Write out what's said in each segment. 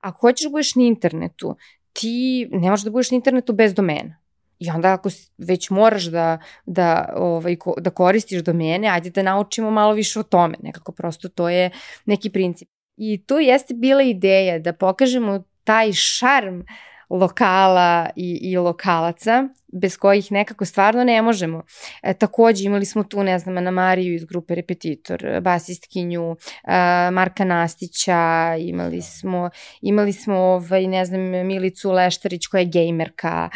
Ako hoćeš da budeš na internetu, ti ne možeš da budeš na internetu bez domena. I onda ako već moraš da koristiš domene, ajde da naučimo malo više o tome. Nekako prosto to je neki princip. I tu jeste bila ideja da pokažemo taj šarm lokala i lokalaca, bez kojih nekako stvarno ne možemo. Takođe imali smo tu, ne znam, Ana Mariju iz grupe Repetitor, basistkinju, Marka Nastića, imali smo ne znam, Milicu Leštarić koja je gejmerka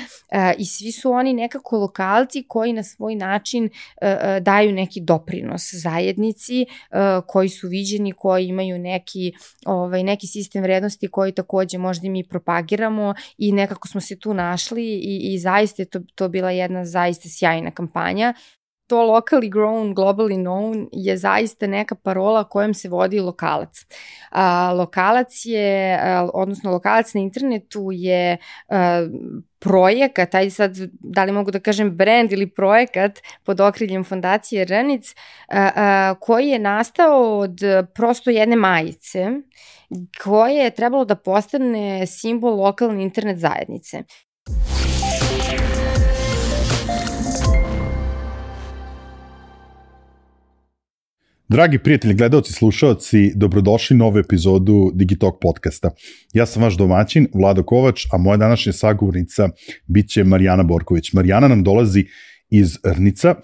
i svi su oni nekako lokalci koji na svoj način daju neki doprinos zajednici, koji su viđeni, koji imaju neki sistem vrednosti koji takođe možda mi propagiramo i nekako smo se tu našli i zaista je to bila jedna zaista sjajna kampanja. To locally grown, globally known je zaista neka parola kojom se vodi lokalac. Lokalac na internetu je projekat, ajde sad, da li mogu da kažem brand ili projekat pod okriljem fondacije Rnic, koji je nastao od prosto jedne majice koje je trebalo da postane simbol lokalne internet zajednice. Dragi prijatelji, gledaoci, slušaoci, dobrodošli u novu epizodu Digitalk podcasta. Ja sam vaš domaćin, Vlado Kovač, a moja današnja sagovornica biće Marijana Borković. Marijana nam dolazi iz Rnica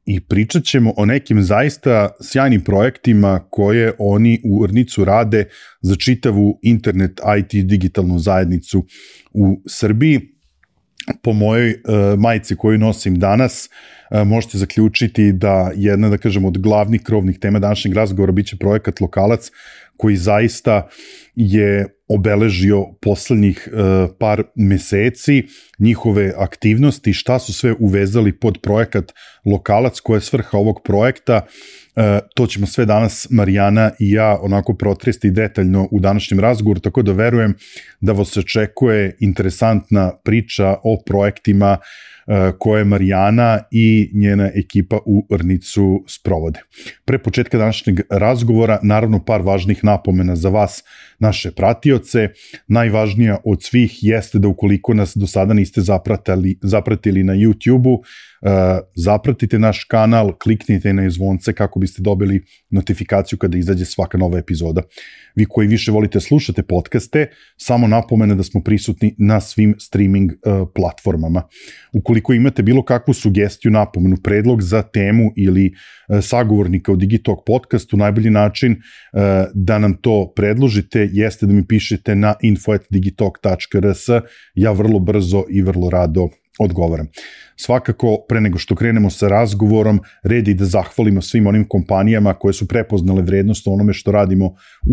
i pričat ćemo o nekim zaista sjajnim projektima koje oni u Rnicu rade za čitavu internet IT digitalnu zajednicu u Srbiji. Po mojoj majici koju nosim danas možete zaključiti da jedna, da kažem, od glavnih krovnih tema današnjeg razgovora biće projekat Lokalac, koji zaista je obeležio poslednjih par meseci njihove aktivnosti, šta su sve uvezali pod projekat Lokalac, koja je svrha ovog projekta. To ćemo sve danas Marijana i ja onako protresti detaljno u današnjem razgovoru, tako da verujem da vas očekuje interesantna priča o projektima koje Marijana i njena ekipa u Rnicu sprovode. Pre početka današnjeg razgovora, naravno par važnih napomena za vas, naše pratioce. Najvažnija od svih jeste da ukoliko nas do sada niste zapratili na YouTube-u, zapratite naš kanal, kliknite na zvonce kako biste dobili notifikaciju kada izađe svaka nova epizoda. Vi koji više volite slušate podcaste, samo napomena da smo prisutni na svim streaming platformama. Ukoliko imate bilo kakvu sugestiju, napomenu, predlog za temu ili sagovornika u Digitalk podcastu, najbolji način da nam to predložite jeste da mi pišete na info@digitalk.rs. Ja vrlo brzo i vrlo rado odgovaram. Svakako, pre nego što krenemo sa razgovorom, red je da zahvalimo svim onim kompanijama koje su prepoznale vrednost o onome što radimo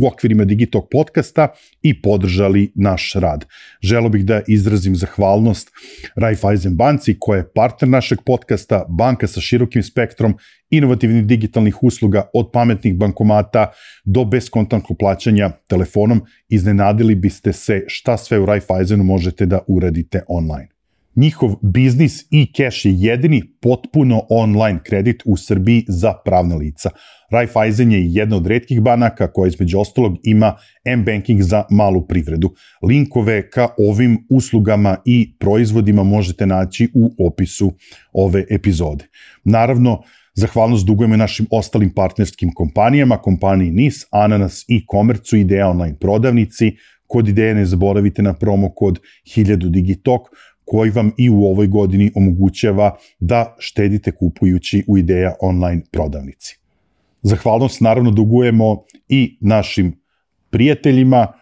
u okvirima Digitalk podcasta i podržali naš rad. Želeo bih da izrazim zahvalnost Raiffeisen banci, koja je partner našeg podcasta, banka sa širokim spektrom inovativnih digitalnih usluga, od pametnih bankomata do beskontaktnog plaćanja telefonom. Iznenadili biste se šta sve u Raiffeisenu možete da uradite online. Njihov biznis e-cash je jedini potpuno online kredit u Srbiji za pravna lica. Raiffeisen je jedna od retkih banaka koja između ostalog ima m-banking za malu privredu. Linkove ka ovim uslugama i proizvodima možete naći u opisu ove epizode. Naravno, zahvalnost dugujemo našim ostalim partnerskim kompanijama, kompaniji NIS, Ananas i Komercu, Ideja online prodavnici. Kod Ideje ne zaboravite na promo kod 1000 Digitalk, koji vam i u ovoj godini omogućava da štedite kupujući u Ideja online prodavnici. Zahvalnost naravno dugujemo i našim prijateljima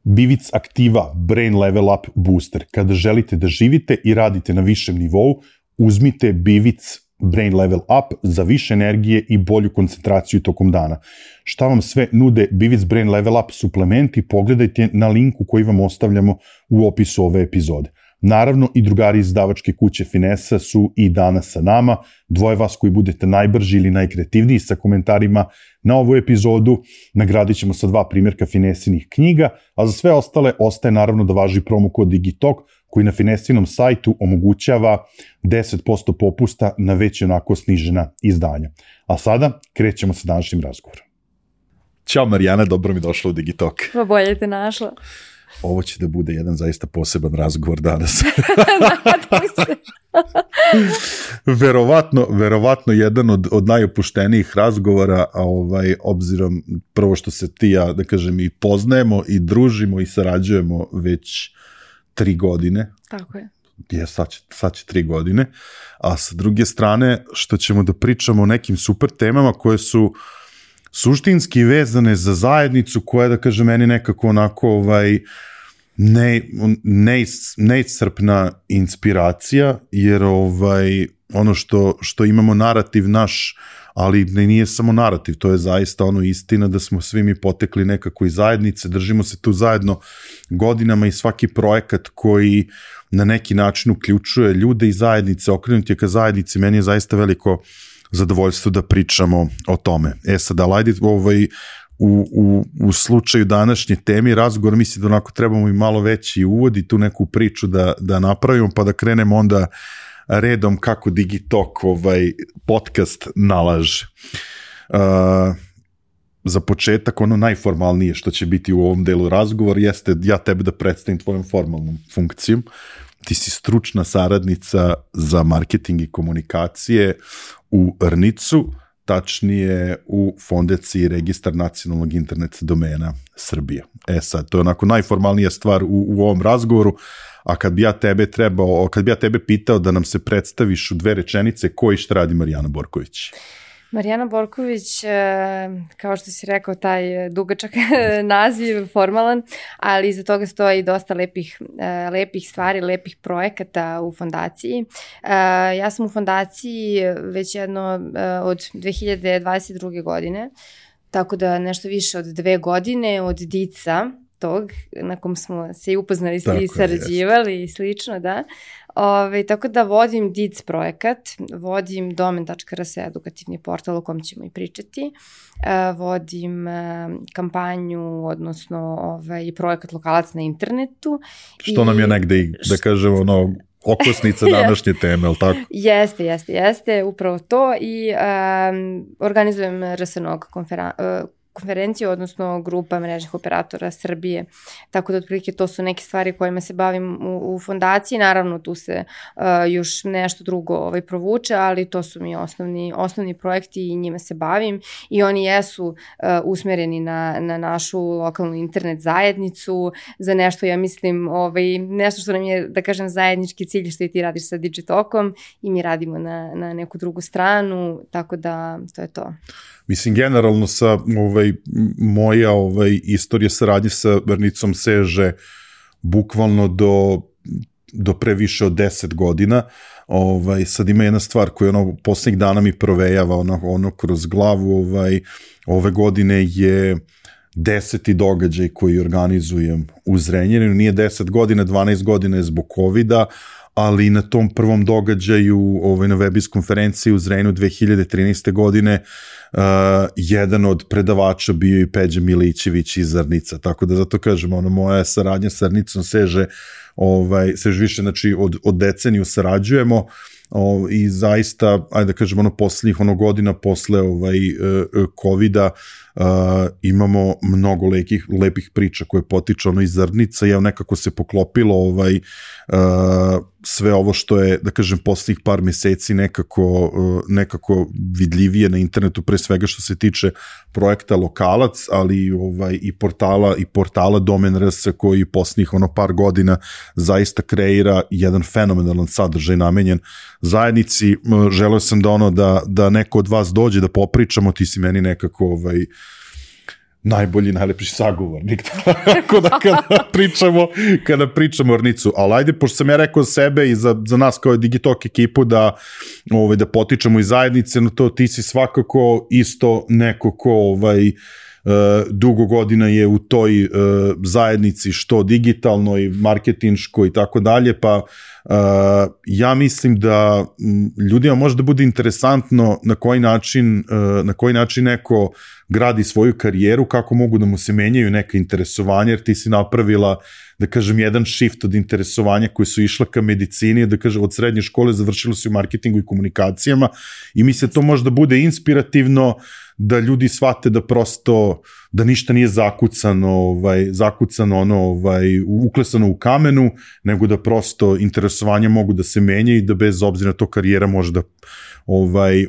Bivic Aktiva Brain Level Up Booster. Kada želite da živite i radite na višem nivou, uzmite Bivic Brain Level Up za više energije i bolju koncentraciju tokom dana. Šta vam sve nude Bivic Brain Level Up suplementi, pogledajte na linku koji vam ostavljamo u opisu ove epizode. Naravno, i drugari iz izdavačke kuće Finesa su i danas sa nama. Dvoje vas koji budete najbrži ili najkreativniji sa komentarima na ovu epizodu nagradit ćemo sa 2 primjerka Finesinih knjiga, a za sve ostale ostaje naravno da važi promo kod Digitalk, koji na Finesinom sajtu omogućava 10% popusta na već onako snižena izdanja. A sada krećemo sa današnjim razgovorom. Ćao Marijana, dobro mi došla u Digitalk. Pa bolje te našla. Ovo će da bude jedan zaista poseban razgovor danas. verovatno jedan od najopuštenijih razgovora, obzirom prvo što se ti ja, da kažem, i poznajemo i družimo i sarađujemo već 3 godine. Tako je. Sad će 3 godine, a sa druge strane što ćemo da pričamo o nekim super temama koje su suštinski vezane za zajednicu koja, da kažem, meni nekako onako neiscrpna inspiracija, jer ono što imamo narativ naš, ali nije samo narativ, to je zaista istina da smo svi mi potekli nekako iz zajednice, držimo se tu zajedno godinama i svaki projekat koji na neki način uključuje ljude iz zajednice, okrenut je ka zajednici, meni je zaista veliko zadovoljstvo da pričamo o tome. Sad, ali ajde, u slučaju današnje teme razgovor, mislim da onako trebamo i malo veći uvod i tu neku priču da napravimo, pa da krenemo onda redom kako Digitalk podcast nalaže. Za početak, ono najformalnije što će biti u ovom delu razgovor jeste ja tebe da predstavim tvojom formalnom funkcijom. Ti si stručna saradnica za marketing i komunikacije u RNIC-u, tačnije u Fondaciji Registar nacionalnog internet domena Srbije. Sad, to je onako najformalnija stvar u ovom razgovoru, a kad bi ja tebe pitao da nam se predstaviš u 2 rečenice, ko i šta radi Marijana Borković? Marijana Borković, kao što si rekao, taj dugačak naziv, formalan, ali iza toga stoji dosta lepih stvari, lepih projekata u fondaciji. Ja sam u fondaciji već jedno od 2022. godine, tako da nešto više od 2 godine od DIC-a, tog na kom smo se i upoznali i sarađivali i slično, da. Tako da vodim DIC projekat, vodim domen.rs edukativni portal o kom ćemo i pričati, vodim kampanju, odnosno projekat Lokalac na internetu. Što nam je negde i, da kažemo, okosnica današnje teme, ali tako? Jeste, upravo to i organizujem RSNOG konferenciju, odnosno grupa mrežnih operatora Srbije, tako da otprilike to su neke stvari kojima se bavim u fondaciji, naravno tu se još nešto drugo provuče, ali to su mi osnovni projekti i njima se bavim i oni jesu usmereni na našu lokalnu internet zajednicu, za nešto, ja mislim, nešto što nam je, da kažem, zajednički cilj, što i ti radiš sa Digitalkom i mi radimo na neku drugu stranu, tako da to je to. Mislim, generalno moja istorija saradnje sa RNIC-om seže bukvalno do pre više od 10 godina. Sad ima jedna stvar koja poslednjih dana mi provejava kroz glavu. Ove godine je 10. događaj koji organizujem u Zrenjaninu. Nije 10 godina, 12 godina je zbog COVID-a, ali na tom prvom događaju na Webis konferenciji u Zrenjaninu 2013. godine jedan od predavača bio i Peđa Milićević iz RNIC-a, tako da zato kažem, moja saradnja sa RNIC-om seže više, znači od deceniju sarađujemo i zaista, ajde da kažem, poslednjih godina posle COVID-a imamo mnogo lepih priča koje potiču iz RNIC-a i nekako se poklopilo sve ovo što je, da kažem, poslednjih par meseci nekako vidljivije na internetu, pre svega što se tiče projekta Lokalac, ali i portala Domen.rs koji poslednjih par godina zaista kreira jedan fenomenalan sadržaj namenjen zajednici. Želeo sam da neko od vas dođe da popričamo, ti si meni nekako najlepši sagovornik kada pričamo o RNIC-u, ali ajde, pošto sam ja rekao sebe i za nas kao Digitalk ekipu da potičemo iz zajednice, no to ti si svakako isto neko ko dugo godina je u toj zajednici, što digitalnoj, marketinškoj i tako dalje, pa ja mislim da ljudima može da bude interesantno na koji način neko gradi svoju karijeru, kako mogu da mu se menjaju neka interesovanja, jer ti si napravila, da kažem, jedan shift od interesovanja koji su išla ka medicini, da kažem, od srednje škole završilo se u marketingu i komunikacijama i mislim da to može da bude inspirativno da ljudi shvate da prosto, da ništa nije zakucano, uklesano u kamenu, nego da prosto interesovanja mogu da se menja i da bez obzira na to karijera može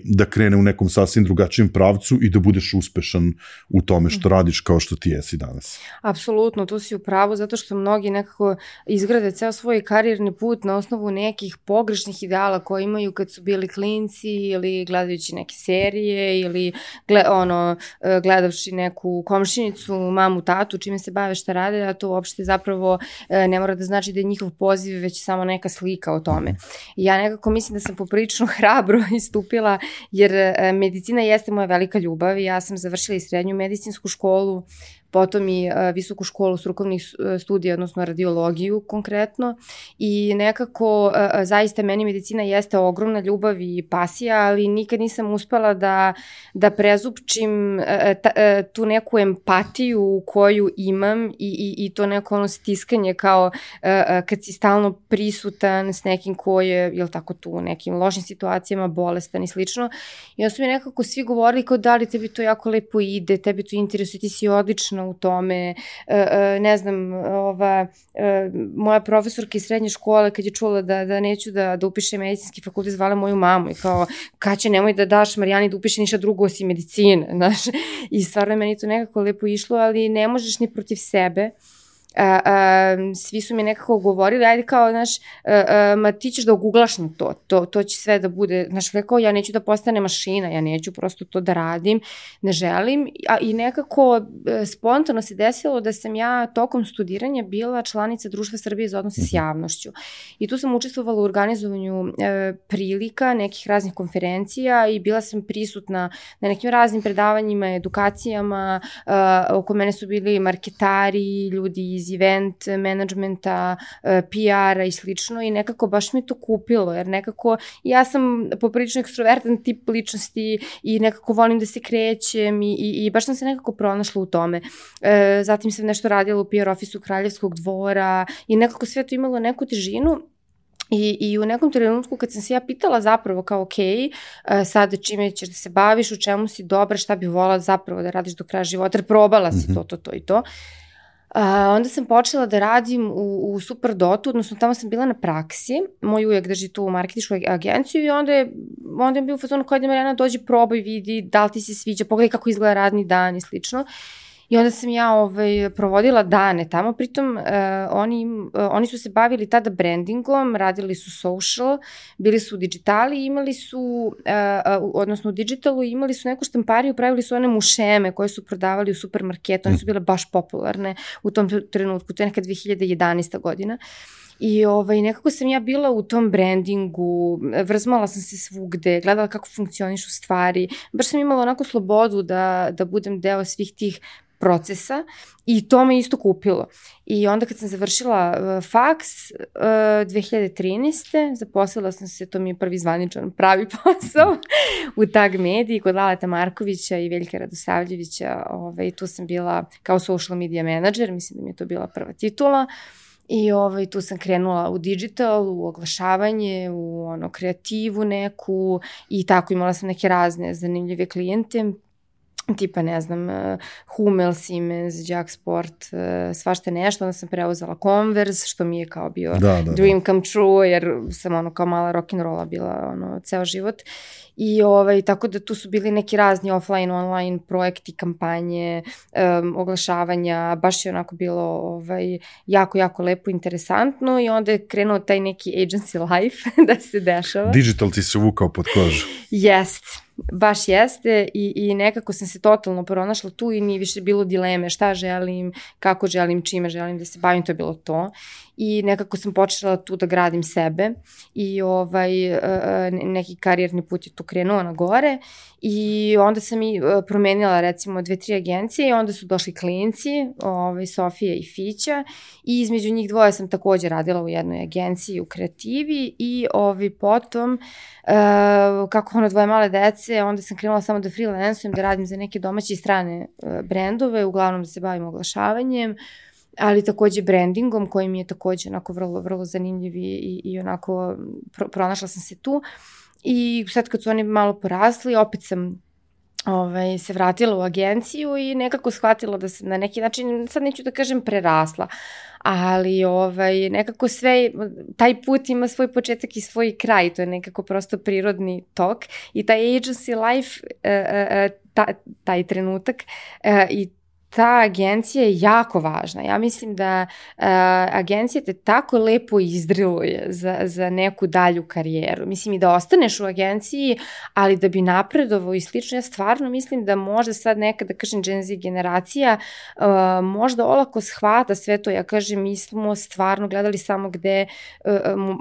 da krene u nekom sasvim drugačijem pravcu i da budeš uspešan u tome što radiš kao što ti jesi danas. Apsolutno, tu si u pravu, zato što mnogi nekako izgrade ceo svoj karijerni put na osnovu nekih pogrešnih ideala koje imaju kad su bili klinci ili gledajući neke serije ili gledavši neku komšinicu, mamu, tatu, čime se bave, šta rade, a to uopšte zapravo ne mora da znači da je njihov poziv već samo neka slika o tome. Ja nekako mislim da sam poprilično hrabro istupila, jer medicina jeste moja velika ljubav i ja sam završila i srednju medicinsku školu, potom i visoku školu strukovnih studija, odnosno radiologiju konkretno, i nekako zaista meni medicina jeste ogromna ljubav i pasija, ali nikad nisam uspela da prezupčim tu neku empatiju koju imam i to neko stiskanje kao kad si stalno prisutan s nekim ko je, jel tako, tu u nekim lošim situacijama, bolestan i slično. I onda su mi nekako svi govorili kao da li tebi to jako lepo ide, tebi to interesuje, ti si odlična u tome, ne znam, moja profesorka iz srednje škole kad je čula da neću da upiše medicinski fakultet, zvala moju mamu i kao, Kaće, nemoj da daš Marijani da upiše ništa drugo osim medicine, znaš, i stvarno je meni to nekako lepo išlo, ali ne možeš ni protiv sebe. Svi su mi nekako govorili, ajde kao, znaš, ma ti ćeš da oguglaš na to će sve da bude, znaš, rekao, ja neću da postane mašina, ja neću prosto to da radim, ne želim, i nekako spontano se desilo da sam ja tokom studiranja bila članica Društva Srbije za odnose s javnošću i tu sam učestvovala u organizovanju prilika, nekih raznih konferencija i bila sam prisutna na nekim raznim predavanjima, edukacijama, oko mene su bili marketari, ljudi iz event managementa, PR-a i slično, i nekako baš mi to kupilo, jer nekako ja sam poprilično ekstrovertan tip ličnosti i nekako volim da se krećem i baš sam se nekako pronašla u tome. Zatim sam nešto radila u PR ofisu Kraljevskog dvora i nekako sve to imalo neku težinu. I u nekom trenutku kad sam se ja pitala zapravo kao ok, sad čime ćeš da se baviš, u čemu si dobra, šta bi volala zapravo da radiš do kraja života, jer probala si to i to. Onda sam počela da radim u Superdotu, odnosno tamo sam bila na praksi, moj ujak drži tu marketinšku agenciju i onda je bio u fazonu kao da Marijana dođi, probaj, vidi da li ti se sviđa, pogledaj kako izgleda radni dan i slično. I onda sam ja provodila dane tamo, pritom oni su se bavili tada brandingom, radili su social, bili su u digitali, imali su, odnosno u digitalu, imali su neku štampariju, pravili su one mušeme koje su prodavali u supermarketu, one su bile baš popularne u tom trenutku, to je neka 2011. godina. I nekako sam ja bila u tom brandingu, vrzmala sam se svugde, gledala kako funkcionišu stvari, baš sam imala onako slobodu da budem deo svih tih procesa i to me isto kupilo. I onda kad sam završila faks 2013. zaposlila sam se, to mi je prvi zvaničan pravi posao u Tag Mediji kod Laleta Markovića i Veljka Radosavljevića. Tu sam bila kao social media manager, mislim da mi je to bila prva titula. I tu sam krenula u digital, u oglašavanje, u kreativu neku i tako imala sam neke razne zanimljive klijente, tipa, ne znam, Hummel, Siemens, Jack Sport, svašta nešto. Onda sam preuzela Converse, što mi je kao bio dream come true, jer sam kao mala rock'n'rolla bila ceo život. I tako da tu su bili neki razni offline, online projekti, kampanje, oglašavanja, baš je onako bilo jako, jako lepo, interesantno i onda je krenuo taj neki agency life da se dešava. Digital ti se uvukao pod kožu. Jeste. Baš jeste i nekako sam se totalno pronašla tu i nije više bilo dileme šta želim, kako želim, čime želim da se bavim, to je bilo to. I nekako sam počela tu da gradim sebe i neki karijerni put je tu krenuo na gore i onda sam i promenila recimo 2-3 agencije i onda su došli klinci, Sofija i Fića i između njih dvoje sam takođe radila u jednoj agenciji u kreativi i potom kako dvoje male dece, onda sam krenula samo da freelansujem, da radim za neke domaće i strane brendove, uglavnom da se bavim oglašavanjem, ali takođe brandingom koji mi je takođe onako vrlo, vrlo zanimljiv i onako pronašla sam se tu i sad kad su oni malo porasli, opet sam se vratila u agenciju i nekako shvatila da sam na neki način, sad neću da kažem prerasla, ali nekako sve, taj put ima svoj početak i svoj kraj, to je nekako prosto prirodni tok i taj agency life, taj trenutak i ta agencija je jako važna. Ja mislim da agencija te tako lepo izdriluje za neku dalju karijeru. Mislim i da ostaneš u agenciji, ali da bi napredovao i slično. Ja stvarno mislim da možda sad neka, da kažem, Gen Z generacija možda olako shvata sve to. Ja kažem, mi smo stvarno gledali samo gde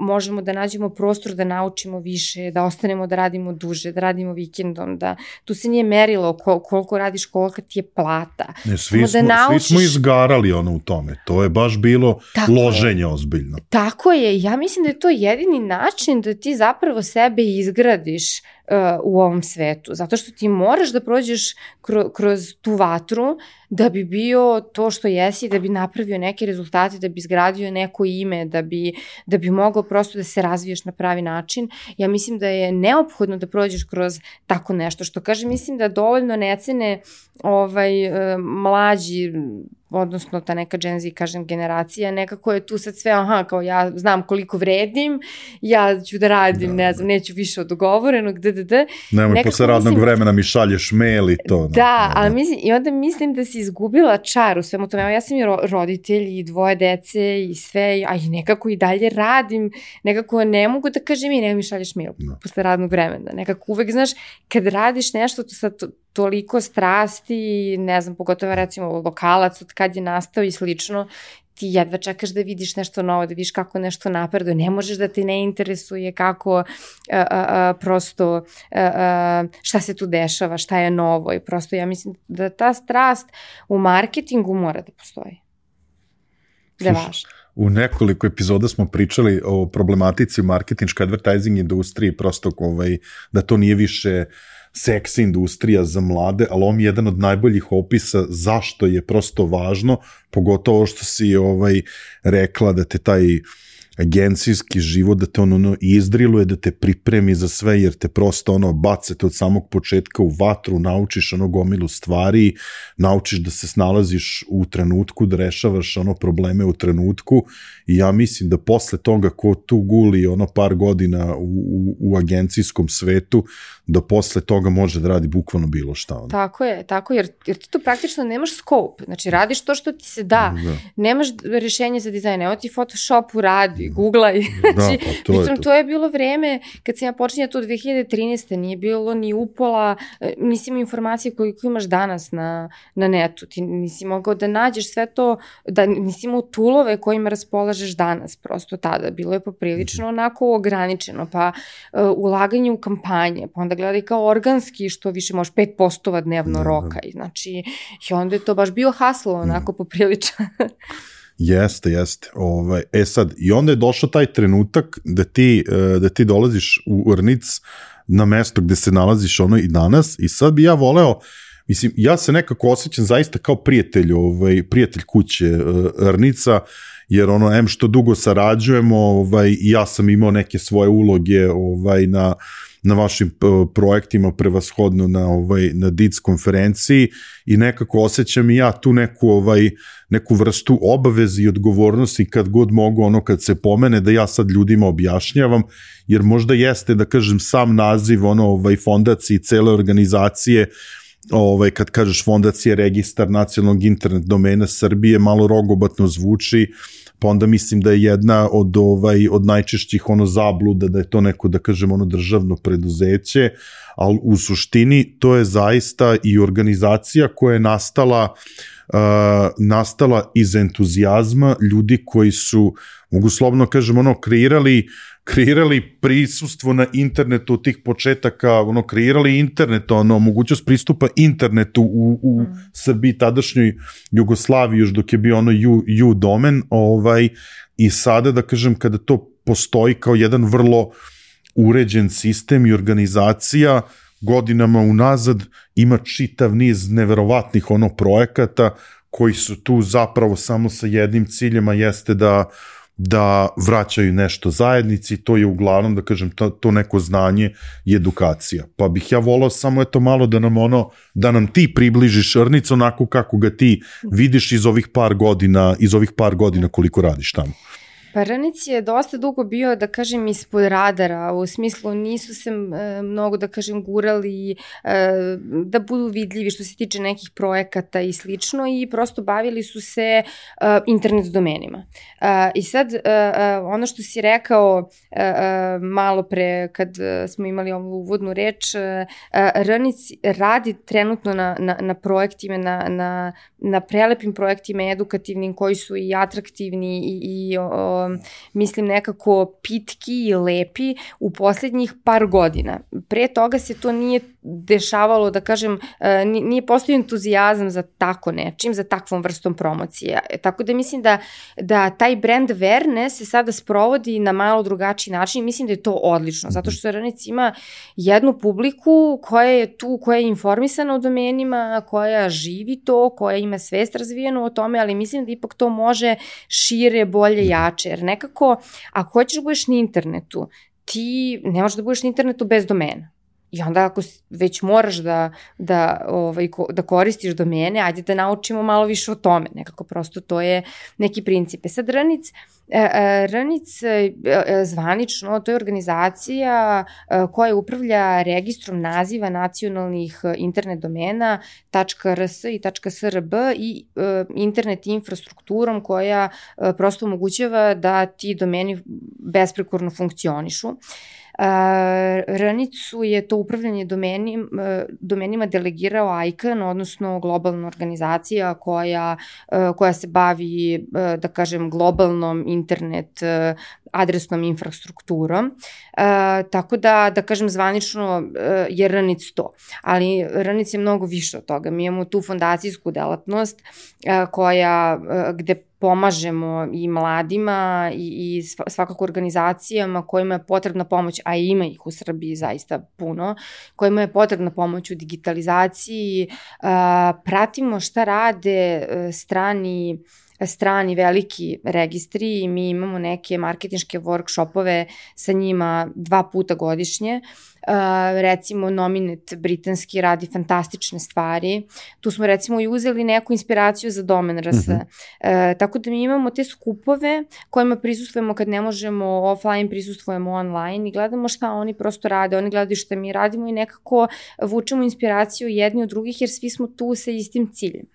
možemo da nađemo prostor da naučimo više, da ostanemo da radimo duže, da radimo vikendom, da tu se nije merilo koliko radiš, kolika ti je plata. Svi smo izgarali u tome. To je baš bilo loženje ozbiljno. Tako je. Ja mislim da je to jedini način da ti zapravo sebe izgradiš u ovom svetu. Zato što ti moraš da prođeš kroz tu vatru da bi bio to što jesi, da bi napravio neke rezultate, da bi izgradio neko ime, da bi mogao prosto da se razviješ na pravi način. Ja mislim da je neophodno da prođeš kroz tako nešto. Što kažem, mislim da dovoljno ne cene mlađi, odnosno ta neka Gen Z, kažem, generacija, nekako je tu sad sve, kao ja znam koliko vredim, ja ću da radim, ne znam, neću više od dogovorenog, Nemoj posle radnog vremena mi šalješ mail i to. Ali mislim, i onda mislim da si izgubila čar u svemu tome. Ja sam i roditelj i 2 dece i sve, a i nekako i dalje radim, nekako ne mogu da kažem ne mi šalješ mail posle radnog vremena. Nekako uvek, znaš, kad radiš nešto, to sad toliko strasti, ne znam, pogotovo recimo lokalac od kad je nastao i slično, ti jedva čekaš da vidiš nešto novo, da vidiš kako nešto napreduje, ne možeš da te ne interesuje kako prosto šta se tu dešava, šta je novo i prosto ja mislim da ta strast u marketingu mora da postoji. Da je važno. U nekoliko epizoda smo pričali o problematici u marketinškoj advertising industriji, prosto da to nije više seksi industrija za mlade, ali on je jedan od najboljih opisa zašto je prosto važno, pogotovo što si rekla da te taj agencijski život, da te izdriluje, da te pripremi za sve, jer te prosto bacete od samog početka u vatru, naučiš gomilu stvari, naučiš da se snalaziš u trenutku, da rešavaš probleme u trenutku i ja mislim da posle toga ko tu guli par godina u agencijskom svetu, da posle toga može da radi bukvalno bilo šta. Tako je, jer ti tu praktično nemaš scope, znači radiš to što ti se da, nemaš rešenje za dizajn, evo ti Photoshopu radi, googlaj, znači, to je bilo vreme, kad sam ja počinjala to 2013. nije bilo ni upola, nisi imao informacije koliko imaš danas na netu, ti nisi mogao da nađeš sve to, da nisi imao toolove kojima raspolažeš danas, prosto tada, bilo je poprilično onako ograničeno, pa ulaganje u kampanje, pa onda gledaj kao organski, što više možeš 5 postova dnevno roka, i znači, i onda je to baš bio haslo, onako poprilično. Jeste. Sad, i onda je došao taj trenutak da ti dolaziš u Rnic na mesto gde se nalaziš i danas i sad bi ja voleo, mislim, ja se nekako osjećam zaista kao prijatelj kuće Rnica, jer što dugo sarađujemo, ja sam imao neke svoje uloge na vašim projektima, prevashodno na DIC konferenciji i nekako osjećam i ja tu neku vrstu obaveze i odgovornosti kad god mogu, kad se pomene, da ja sad ljudima objašnjavam, jer možda jeste, da kažem, sam naziv fondacije i cele organizacije, kad kažeš fondacija registar nacionalnog internet domena Srbije, malo rogobatno zvuči, pa onda mislim da je jedna od najčešćih zabluda da je to neko, da kažem, državno preduzeće, ali u suštini to je zaista i organizacija koja je nastala iz entuzijazma ljudi koji su, mogu slobodno kažem, kreirali prisustvo na internetu od tih početaka, kreirali internet, mogućnost pristupa internetu u Srbiji, tadašnjoj Jugoslaviji, još dok je bio U domen, i sada, da kažem, kada to postoji kao jedan vrlo uređen sistem i organizacija, godinama unazad ima čitav niz neverovatnih projekata koji su tu zapravo samo sa jednim ciljem, a jeste da da vraćaju nešto zajednici, to je uglavnom, da kažem, to neko znanje i edukacija. Pa bih ja volao samo malo da nam ti približiš Rnic onako kako ga ti vidiš iz ovih par godina koliko radiš tamo. Pa Rnic je dosta dugo bio, da kažem, ispod radara, u smislu nisu se mnogo, da kažem, gurali da budu vidljivi što se tiče nekih projekata i slično i prosto bavili su se internet domenima. I sad, ono što si rekao malo pre kad smo imali ovu uvodnu reč, Rnic radi trenutno na projektima, na prelepim projektima edukativnim koji su i atraktivni i mislim nekako pitki i lepi u poslednjih par godina. Pre toga se to nije dešavalo, da kažem, nije postojao entuzijazam za tako nečim, za takvom vrstom promocije. Tako da mislim da taj brand awareness se sada sprovodi na malo drugačiji način i mislim da je to odlično, zato što Rnic ima jednu publiku koja je tu, koja je informisana o domenima, koja živi to, koja ima svest razvijenu o tome, ali mislim da ipak to može šire, bolje, jače, jer nekako, ako hoćeš da budeš na internetu, ti ne možeš da budeš na internetu bez domena. I onda ako već moraš da koristiš domene, ajde da naučimo malo više o tome. Nekako prosto to je neki princip. Sad Rnic zvanično, to je organizacija koja upravlja registrom naziva nacionalnih internet domena .rs i .srb i internet infrastrukturom koja prosto omogućava da ti domeni besprekorno funkcionišu. Rnicu je to upravljanje domenima delegirao ICANN, odnosno globalna organizacija koja se bavi, da kažem, globalnom internet adresnom infrastrukturom, tako da kažem, zvanično je Rnic to. Ali Rnic je mnogo više od toga. Mi imamo tu fondacijsku delatnost gde pomažemo i mladima i svakako organizacijama kojima je potrebna pomoć, a ima ih u Srbiji zaista puno, kojima je potrebna pomoć u digitalizaciji, pratimo šta rade strani veliki registri i mi imamo neke marketinške workshopove sa njima 2 puta godišnje. Recimo Nominet britanski radi fantastične stvari. Tu smo recimo i uzeli neku inspiraciju za domen RS. Tako da mi imamo te skupove kojima prisustvujemo kad ne možemo offline, prisustvujemo online i gledamo šta oni prosto rade, oni gledaju šta mi radimo i nekako vučemo inspiraciju jedni od drugih jer svi smo tu sa istim ciljem.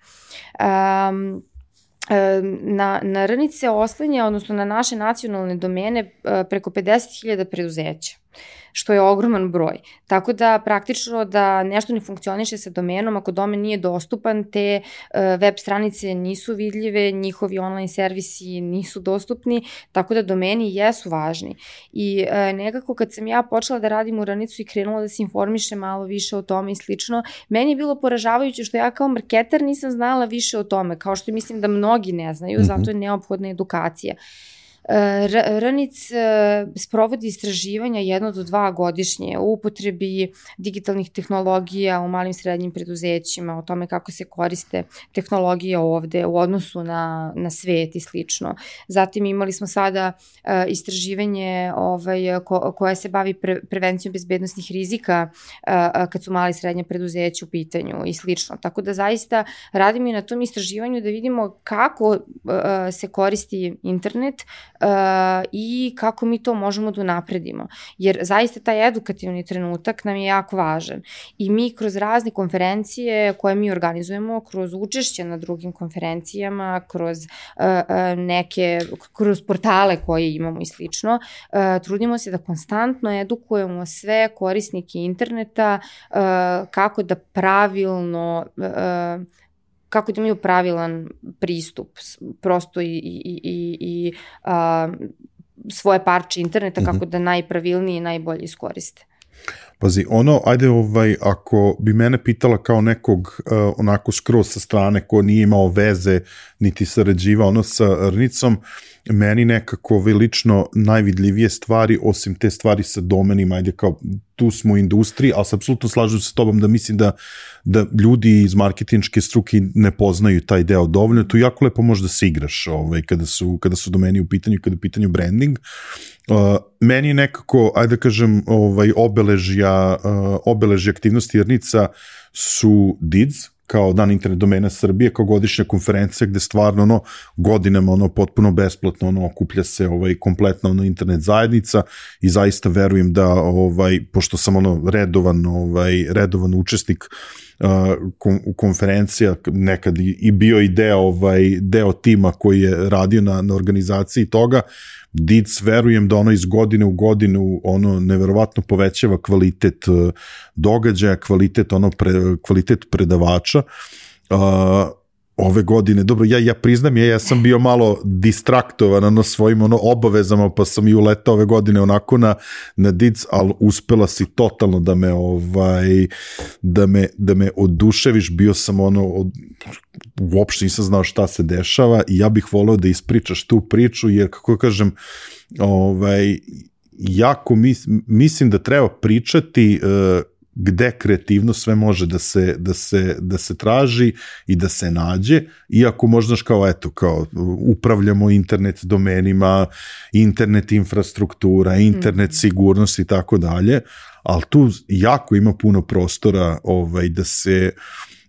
Na Rnic se oslanja, odnosno na naše nacionalne domene preko 50.000 preduzeća, što je ogroman broj. Tako da praktično da nešto ne funkcioniše sa domenom, ako domen nije dostupan, te web stranice nisu vidljive, njihovi online servisi nisu dostupni, tako da domeni jesu važni. I nekako kad sam ja počela da radim u Rnicu i krenula da se informiše malo više o tome i slično, meni je bilo poražavajuće što ja kao marketer nisam znala više o tome, kao što mislim da mnogi ne znaju, zato je neophodna edukacija. Rnic sprovodi istraživanja 1 do 2 godišnje o upotrebi digitalnih tehnologija u malim i srednjim preduzećima, o tome kako se koriste tehnologije ovde u odnosu na svet i slično. Zatim imali smo sada istraživanje koje se bavi prevencijom bezbednosnih rizika kad su mali i srednje preduzeće u pitanju i slično. Tako da zaista radimo i na tom istraživanju da vidimo kako se koristi internet i kako mi to možemo da unapredimo. Jer zaista taj edukativni trenutak nam je jako važan. I mi kroz razne konferencije koje mi organizujemo, kroz učešće na drugim konferencijama, kroz portale koje imamo i slično, trudimo se da konstantno edukujemo sve korisnike interneta kako da kako da imaju pravilan pristup prosto i svoje parče interneta kako da najpravilnije i najbolje iskoriste. Pazi, ako bi mene pitala kao nekog onako skroz sa strane ko nije imao veze niti sarađivao sa Rnicom, meni nekako lično najvidljivije stvari, osim te stvari sa domenima, ajde kao tu smo u industriji, ali se apsolutno slažem sa tobom da mislim da ljudi iz marketinške struke ne poznaju taj deo dovoljno, tu jako lepo možeš da se igraš kada su domeni u pitanju, kada je u pitanju branding. Meni nekako, ajde da kažem, obeležja aktivnosti Jernica su DIDS, kao Dan internet domena Srbije, kao godišnja konferencija gde stvarno godinama potpuno besplatno okuplja se kompletna internet zajednica i zaista verujem da pošto sam redovan učesnik konferencija, nekad i bio i deo tima koji je radio na organizaciji toga, DIDS verujem da iz godine u godinu neverovatno povećava kvalitet događaja, kvalitet predavača. Ove godine, dobro, ja priznam, ja sam bio malo distraktovan svojim obavezama, pa sam i uletao ove godine onako na DIDS, ali uspela si totalno da me oduševiš, bio sam uopšte nisam znao šta se dešava i ja bih voleo da ispričaš tu priču, jer kako kažem, jako mislim da treba pričati gde kreativno sve može da se traži i da se nađe, iako možda kao upravljamo internet domenima, internet infrastruktura, internet sigurnost i tako dalje, ali tu jako ima puno prostora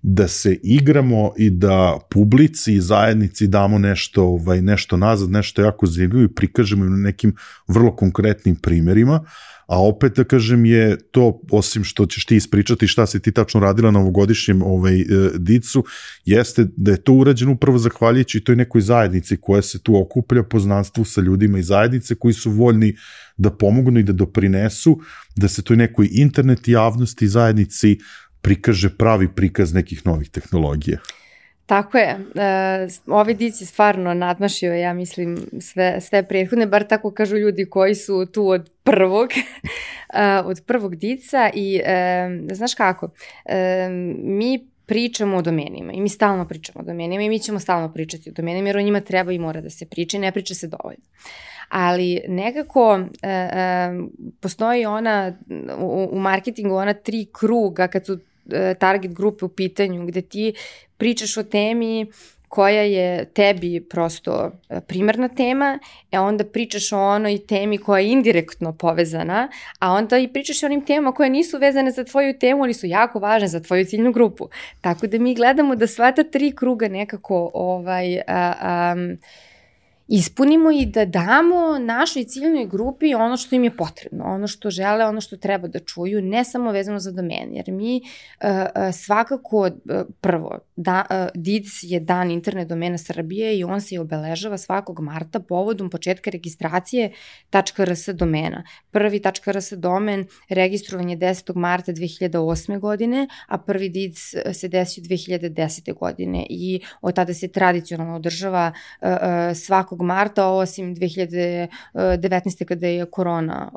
da se igramo i da publici i zajednici damo nešto nazad, nešto jako zanimljivo i prikažemo na nekim vrlo konkretnim primerima. A opet da kažem je to, osim što ćeš ti ispričati šta si ti tačno radila na ovogodišnjem DIDS-u, jeste da je to urađeno upravo zahvaljujući toj nekoj zajednici koja se tu okuplja, poznanstvu sa ljudima iz zajednice koji su voljni da pomognu i da doprinesu, da se toj nekoj internet javnosti i zajednici prikaže pravi prikaz nekih novih tehnologija. Tako je. Ovaj DIDS je stvarno nadmašio, ja mislim, sve prethodne, bar tako kažu ljudi koji su tu od prvog DIDS-a i znaš kako, mi pričamo o domenima i mi stalno pričamo o domenima i mi ćemo stalno pričati o domenima jer o njima treba i mora da se priča i ne priča se dovoljno. Ali nekako postoji u marketingu ona 3 kruga kad su target grupe u pitanju, gde ti pričaš o temi koja je tebi prosto primarna tema, onda pričaš o onoj temi koja je indirektno povezana, a onda i pričaš o onim temama koje nisu vezane za tvoju temu, ali su jako važne za tvoju ciljnu grupu. Tako da mi gledamo da sva ta 3 kruga nekako ispunimo i da damo našoj ciljnoj grupi ono što im je potrebno, ono što žele, ono što treba da čuju, ne samo vezano za domen, jer mi svakako, prvo, DIDS je Dan internet domena Srbije i on se obeležava svakog marta povodom početka registracije .rs domena. Prvi .rs domen registrovan je 10. marta 2008. godine, a prvi DIDS se desio 2010. godine i od tada se tradicionalno održava svakog marta, osim 2019. kada je korona,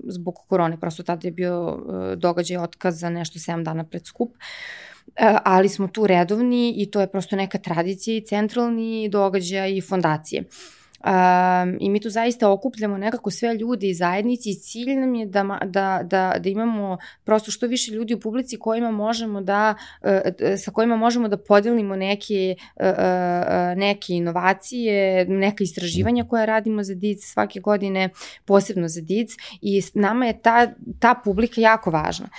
zbog korone, prosto tada je bio događaj otkaz za nešto 7 dana pred skup, ali smo tu redovni i to je prosto neka tradicija i centralni događaj i fondacije. I mi tu zaista okupljamo nekako sve ljudi iz zajednici i cilj nam je da imamo prosto što više ljudi u publici sa kojima možemo da podelimo neke inovacije, neka istraživanja koja radimo za DIDS svake godine, posebno za DIDS, i nama je ta publika jako važna.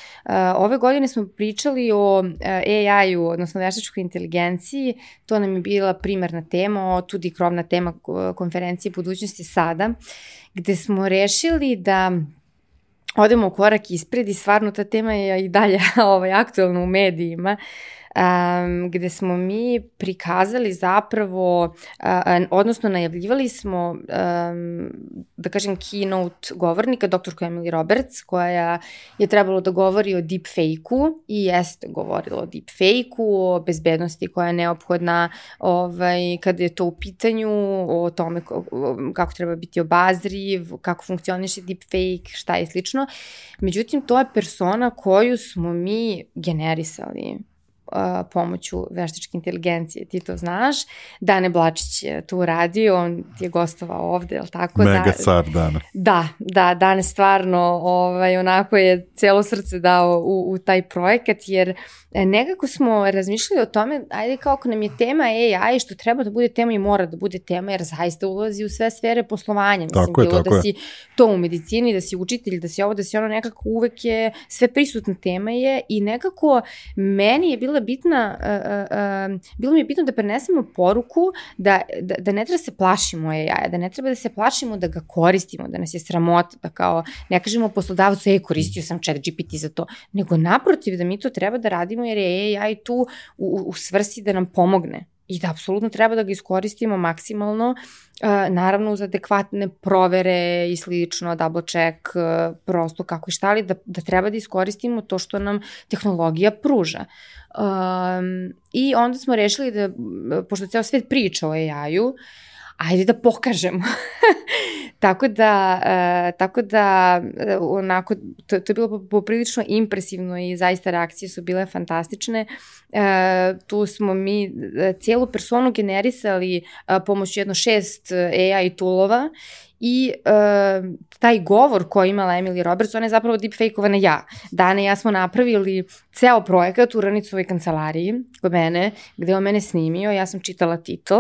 Ove godine smo pričali o AI-u, odnosno veštačkoj inteligenciji, to nam je bila primarna tema, tudi krovna tema konferencije budućnosti sada, gde smo rešili da odemo korak ispred i stvarno ta tema je i dalje aktualna u medijima, gde smo mi prikazali zapravo, odnosno najavljivali smo, da kažem, keynote govornika, doktorku Emily Roberts, koja je trebalo da govori o deepfake-u i jeste govorila o deepfake-u, o bezbednosti koja je neophodna kada je to u pitanju, o tome kako treba biti obazriv, kako funkcioniše deepfake, šta je slično. Međutim, to je persona koju smo mi generisali pomoću veštačke inteligencije, ti to znaš. Dane Blačić je tu radio, on je gostovao ovde, je li tako? Mega car Dane. Da, Dane stvarno onako je celo srce dao u taj projekat, jer nekako smo razmišljali o tome, ajde kao ako nam je tema AI, što treba da bude tema i mora da bude tema, jer zaista ulazi u sve sfere poslovanja. Mislim, bilo da si to u medicini, da si učitelj, da si ovo, da si ono, nekako uvek je sve prisutna tema je i nekako meni je bilo mi je bitno da prenesemo poruku da ne treba se plašimo AI, da ne treba da se plašimo da ga koristimo, da nas je sramota, da kao ne kažemo poslodavcu, koristio sam ChatGPT za to, nego naprotiv da mi to treba da radimo jer je AI tu u svrsi da nam pomogne i da apsolutno treba da ga iskoristimo maksimalno, naravno uz adekvatne provere i slično, double check, prosto kako i šta, ali da treba da iskoristimo to što nam tehnologija pruža. I onda smo rešili da, pošto ceo svet priča o AI-u, ajde da pokažemo. Tako da onako, to je bilo poprilično impresivno i zaista reakcije su bile fantastične. Tu smo mi cijelu personu generisali pomoću jedno 6 AI toolova i taj govor koji je imala Emily Roberts, ona je zapravo deepfake-ovana ja. Dane i ja smo napravili ceo projekat u Ranicovoj kancelariji kod mene, gde on mene snimio, ja sam čitala titl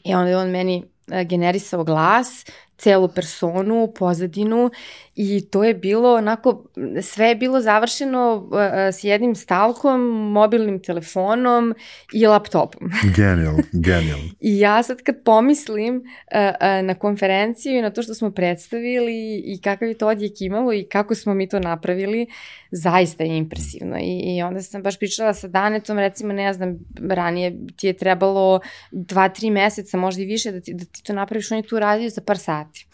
i onda je on meni generisao glas, celu personu, pozadinu i to je bilo onako, sve je bilo završeno s jednim stavkom, mobilnim telefonom i laptopom. Genijalno. I ja sad kad pomislim na konferenciju i na to što smo predstavili i kakav je to odjek imalo i kako smo mi to napravili, zaista je impresivno. I onda sam baš pričala sa Danetom, recimo, ne znam, ranije ti je trebalo 2-3 meseca, možda i više, da ti to napraviš, on je tu radio za par sati.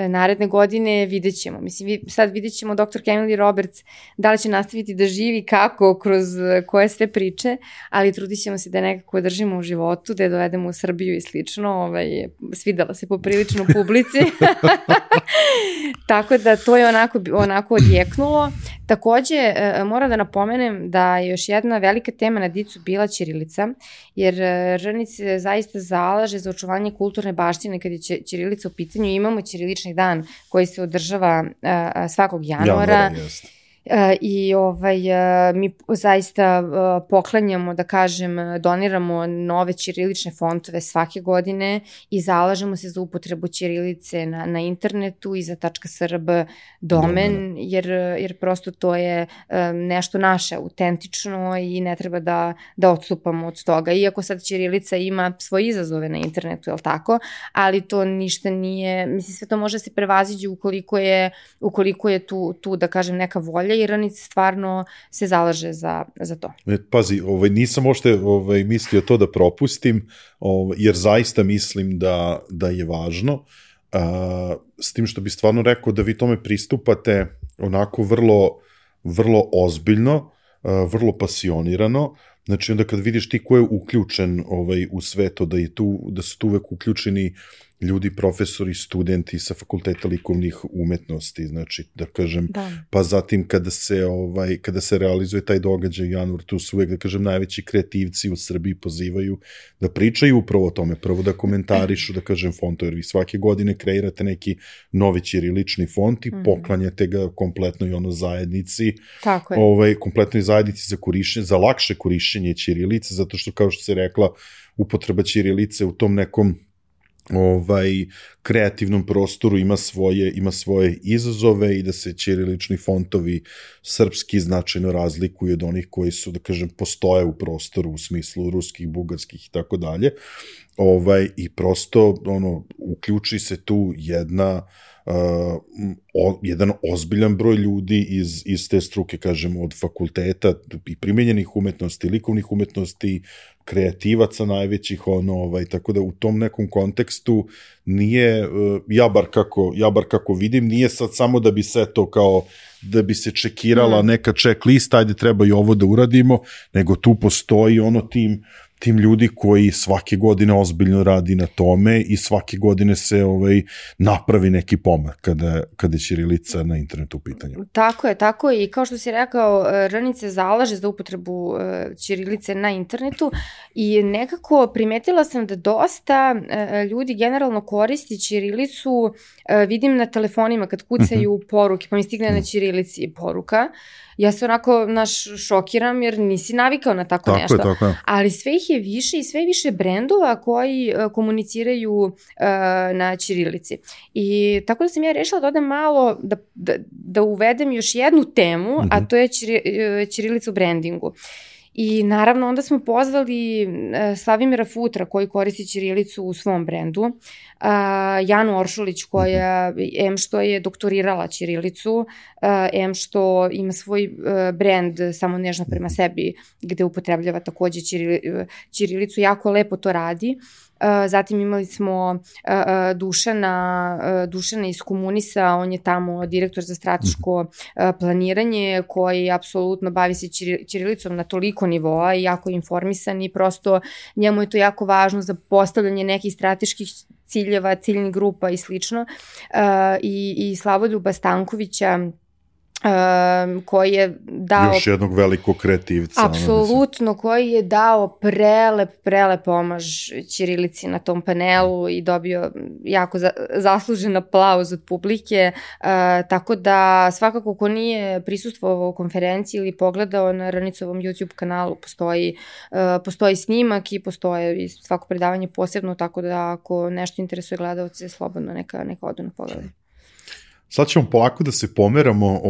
Naredne godine vidjet ćemo. Mislim, sad vidjet ćemo dr. Emily Roberts da li će nastaviti da živi, kako, kroz koje sve priče, ali trudit ćemo se da nekako držimo u životu, da je dovedemo u Srbiju i slično. Svidela se poprilično publici. Tako da to je onako odjeknulo. Takođe, moram da napomenem da je još jedna velika tema na Dicu bila ćirilica, jer Rnic se zaista zalaže za očuvanje kulturne baštine kad je ćirilica u pitanju. Imamo ćirilični dan koji se održava svakog januara. I mi zaista poklanjamo, da kažem, doniramo nove ćirilične fontove svake godine i zalažemo se za upotrebu ćirilice na internetu i za .srb domen, jer prosto to je nešto naše, autentično i ne treba da odstupamo od toga. Iako sad ćirilica ima svoje izazove na internetu, je li tako? Ali to ništa nije, mislim, sve to može se prevaziđi ukoliko je tu, da kažem, neka volja i Rnic stvarno se zalaže za to. Pazi, nisam ošte mislio to da propustim, jer zaista mislim da je važno, s tim što bi stvarno rekao da vi tome pristupate onako vrlo, vrlo ozbiljno, vrlo pasionirano. Znači onda kad vidiš ti ko je uključen u sve to, da su tu uvek uključeni ljudi, profesori, studenti sa fakulteta likovnih umetnosti, znači da kažem, pa zatim kada se realizuje taj događaj u januar, tu su uvek, da kažem, najveći kreativci u Srbiji pozivaju da pričaju upravo o tome, prvo da komentarišu, da kažem, fonto, jer vi svake godine kreirate neki novi ćirilični font i poklanjate ga kompletnoj zajednici, kompletnoj zajednici za lakše korišćenje ćirilice, zato što, kao što se rekla, upotreba ćirilice u tom nekom kreativnom prostoru ima svoje izazove i da se ćirilični fontovi srpski značajno razlikuju od onih koji su, da kažem, postoje u prostoru u smislu ruskih, bugarskih i tako dalje. I prosto uključi se tu jedan ozbiljan broj ljudi iz te struke, kažemo, od fakulteta i primenjenih umetnosti, likovnih umetnosti, kreativaca najvećih, tako da u tom nekom kontekstu nije, ja bar kako vidim, nije sad samo da bi se to kao, da bi se čekirala neka checklist, ajde treba i ovo da uradimo, nego tu postoji tim tim ljudi koji svake godine ozbiljno radi na tome i svake godine se napravi neki pomak kada je ćirilica na internetu u pitanju. Tako je i kao što si rekao, RNIC se zalaže za upotrebu ćirilice na internetu i nekako primetila sam da dosta ljudi generalno koristi ćirilicu, vidim na telefonima kad kucaju poruke, pa mi stigne na ćirilici poruka. Ja se onako šokiram jer nisi navikao na tako nešto. Tako je. Ali sve ih je više i sve više brendova koji komuniciraju na ćirilici. I tako da sam ja rešila da odem malo, da uvedem još jednu temu, a to je ćirilica u brandingu. I naravno onda smo pozvali Slavimira Futra koji koristi ćirilicu u svom brendu, Janu Oršulić koja što je doktorirala ćirilicu, što ima svoj brend Samo nežno prema sebi gde upotrebljava takođe ćirilicu, jako lepo to radi. Zatim imali smo Dušana iz Komunisa, on je tamo direktor za strateško planiranje koji apsolutno bavi se ćirilicom na toliko nivoa i jako informisan i prosto njemu je to jako važno za postavljanje nekih strateških ciljeva, ciljnih grupa i slično. I Slavoljuba Stankovića koji je dao... Još jednog velikog kreativca. Apsolutno, koji je dao prelep omaž ćirilici na tom panelu i dobio jako zaslužen aplauz od publike, tako da svakako ko nije prisustvovao konferenciji ili pogledao na RNIC-ovom YouTube kanalu, postoji snimak i postoje i svako predavanje posebno, tako da ako nešto interesuje gledalce, slobodno neka odu na pogledaj. Sad ćemo polako da se pomeramo,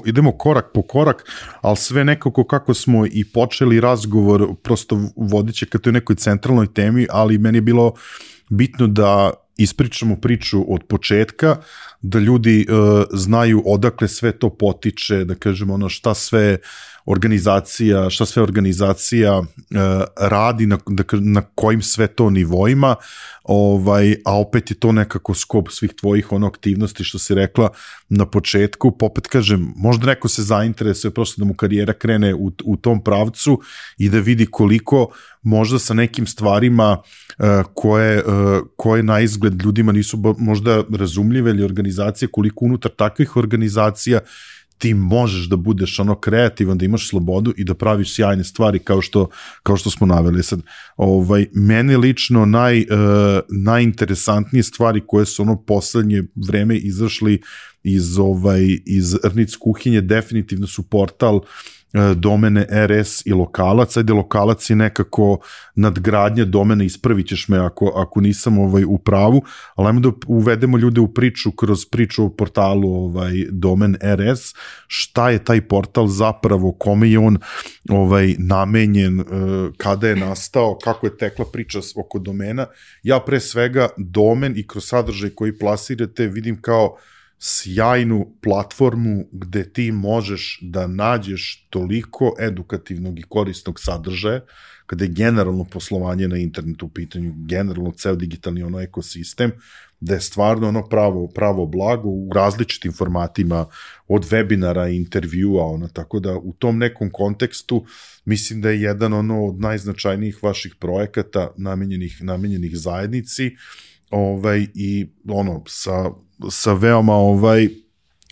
idemo korak po korak, ali sve nekako kako smo i počeli razgovor, prosto vodiće ka toj nekoj centralnoj temi, ali meni je bilo bitno da ispričamo priču od početka, da ljudi znaju odakle sve to potiče, da kažemo šta sve organizacija radi, na kojim sve to nivoima, a opet je to nekako skop svih tvojih aktivnosti što si rekla na početku, pa opet kažem, možda neko se zainteresuje prosto da mu karijera krene u tom pravcu i da vidi koliko možda sa nekim stvarima koje na izgled ljudima nisu možda razumljive ili organizacije, koliko unutar takvih organizacija ti možeš da budeš kreativan, da imaš slobodu i da praviš sjajne stvari kao što smo naveli. Sad, meni lično najinteresantnije stvari koje su poslednje vreme izašli iz RNIC kuhinje definitivno su portal domene RS i lokalac. Ajde, lokalac je nekako nadgradnja domena, ispravit ćeš me ako nisam u pravu, ali ajmo da uvedemo ljude u priču kroz priču o portalu domen RS, šta je taj portal zapravo, kome je on namenjen, kada je nastao, kako je tekla priča oko domena. Ja pre svega domen i kroz sadržaj koji plasirate vidim kao sjajnu platformu gde ti možeš da nađeš toliko edukativnog i korisnog sadržaja, kada je generalno poslovanje na internetu u pitanju, generalno ceo digitalni ekosistem, da je stvarno pravo blago u različitim formatima, od webinara, intervjua, tako da u tom nekom kontekstu mislim da je jedan od najznačajnijih vaših projekata namenjenih zajednici, i sa veoma,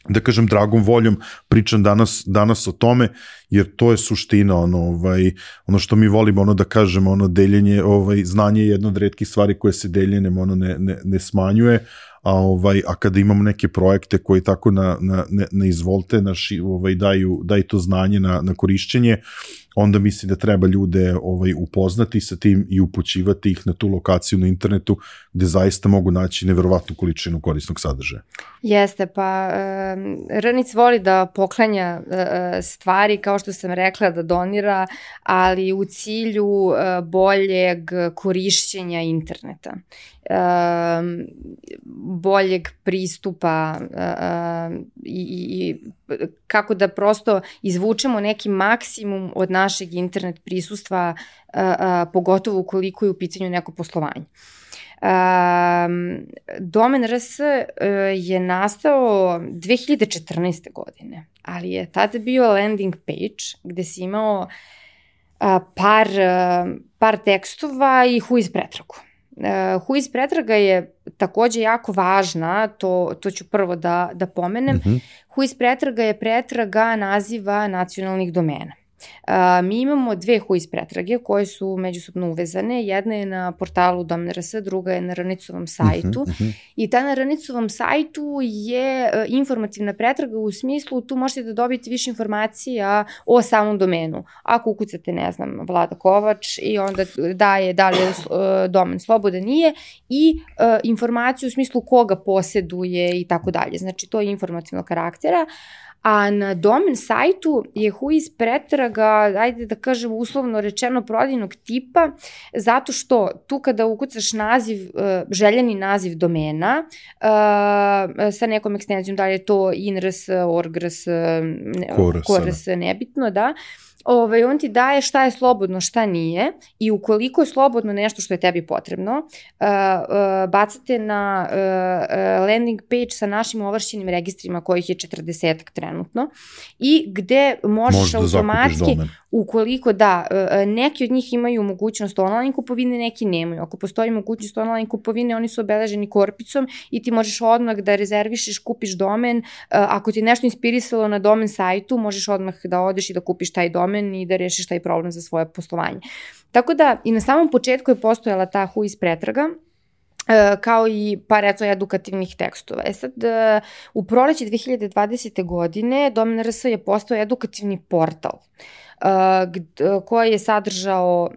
da kažem, dragom voljom pričam danas o tome, jer to je suština, ono što mi volimo, da kažemo, deljenje, znanje je jedna od retkih stvari koje se deljenjem ne smanjuje, a kada imamo neke projekte koji tako na izvolte daju to znanje na korišćenje, onda mislim da treba ljude upoznati sa tim i upućivati ih na tu lokaciju na internetu gde zaista mogu naći neverovatnu količinu korisnog sadržaja. Jeste, pa RNIC voli da poklanja stvari, kao što sam rekla, da donira, ali u cilju boljeg korišćenja interneta, boljeg pristupa i kako da prosto izvučemo neki maksimum od našeg internet prisustva, pogotovo ukoliko je u pitanju neko poslovanje. Domen RS je nastao 2014. godine, ali je tada bio landing page gde si imao par tekstova i whois pretragu. Whois pretraga je takođe jako važna, to ću prvo da pomenem. Whois pretraga je pretraga naziva nacionalnih domena. Mi imamo dve whois pretrage koje su međusobno uvezane. Jedna je na portalu Domen.rs, druga je na RN-icovom sajtu. I ta na RN-icovom sajtu je informativna pretraga u smislu tu možete da dobijete više informacija o samom domenu. Ako ukucate, ne znam, Vlada Kovač i onda daje da li je domen slobodan, nije, i informaciju u smislu koga poseduje i tako dalje. Znači, to je informativnog karaktera. A na domen sajtu je whois pretraga, ajde da kažem uslovno rečeno, prodajnog tipa, zato što tu kada ukucaš naziv, željeni naziv domena sa nekom ekstenzijom, da li je to INRS, ORGRS, KORS, nebitno, da, on ti daje šta je slobodno, šta nije, i ukoliko je slobodno nešto što je tebi potrebno, bacate na landing page sa našim ovlašćenim registrima, kojih je 40 trenutno, i gde možeš automatski, ukoliko neki od njih imaju mogućnost online kupovine, neki nemaju. Ako postoji mogućnost online kupovine, oni su obeleženi korpicom i ti možeš odmah da rezervišeš, kupiš domen. Ako ti nešto inspirisalo na domen sajtu, možeš odmah da odeš i da kupiš taj domen i da rešiš taj problem za svoje poslovanje. Tako da i na samom početku je postojala ta whois pretraga, kao i par edukativnih tekstova. Sad, u proleće 2020. godine Domen.rs je postao edukativni portal koji je sadržao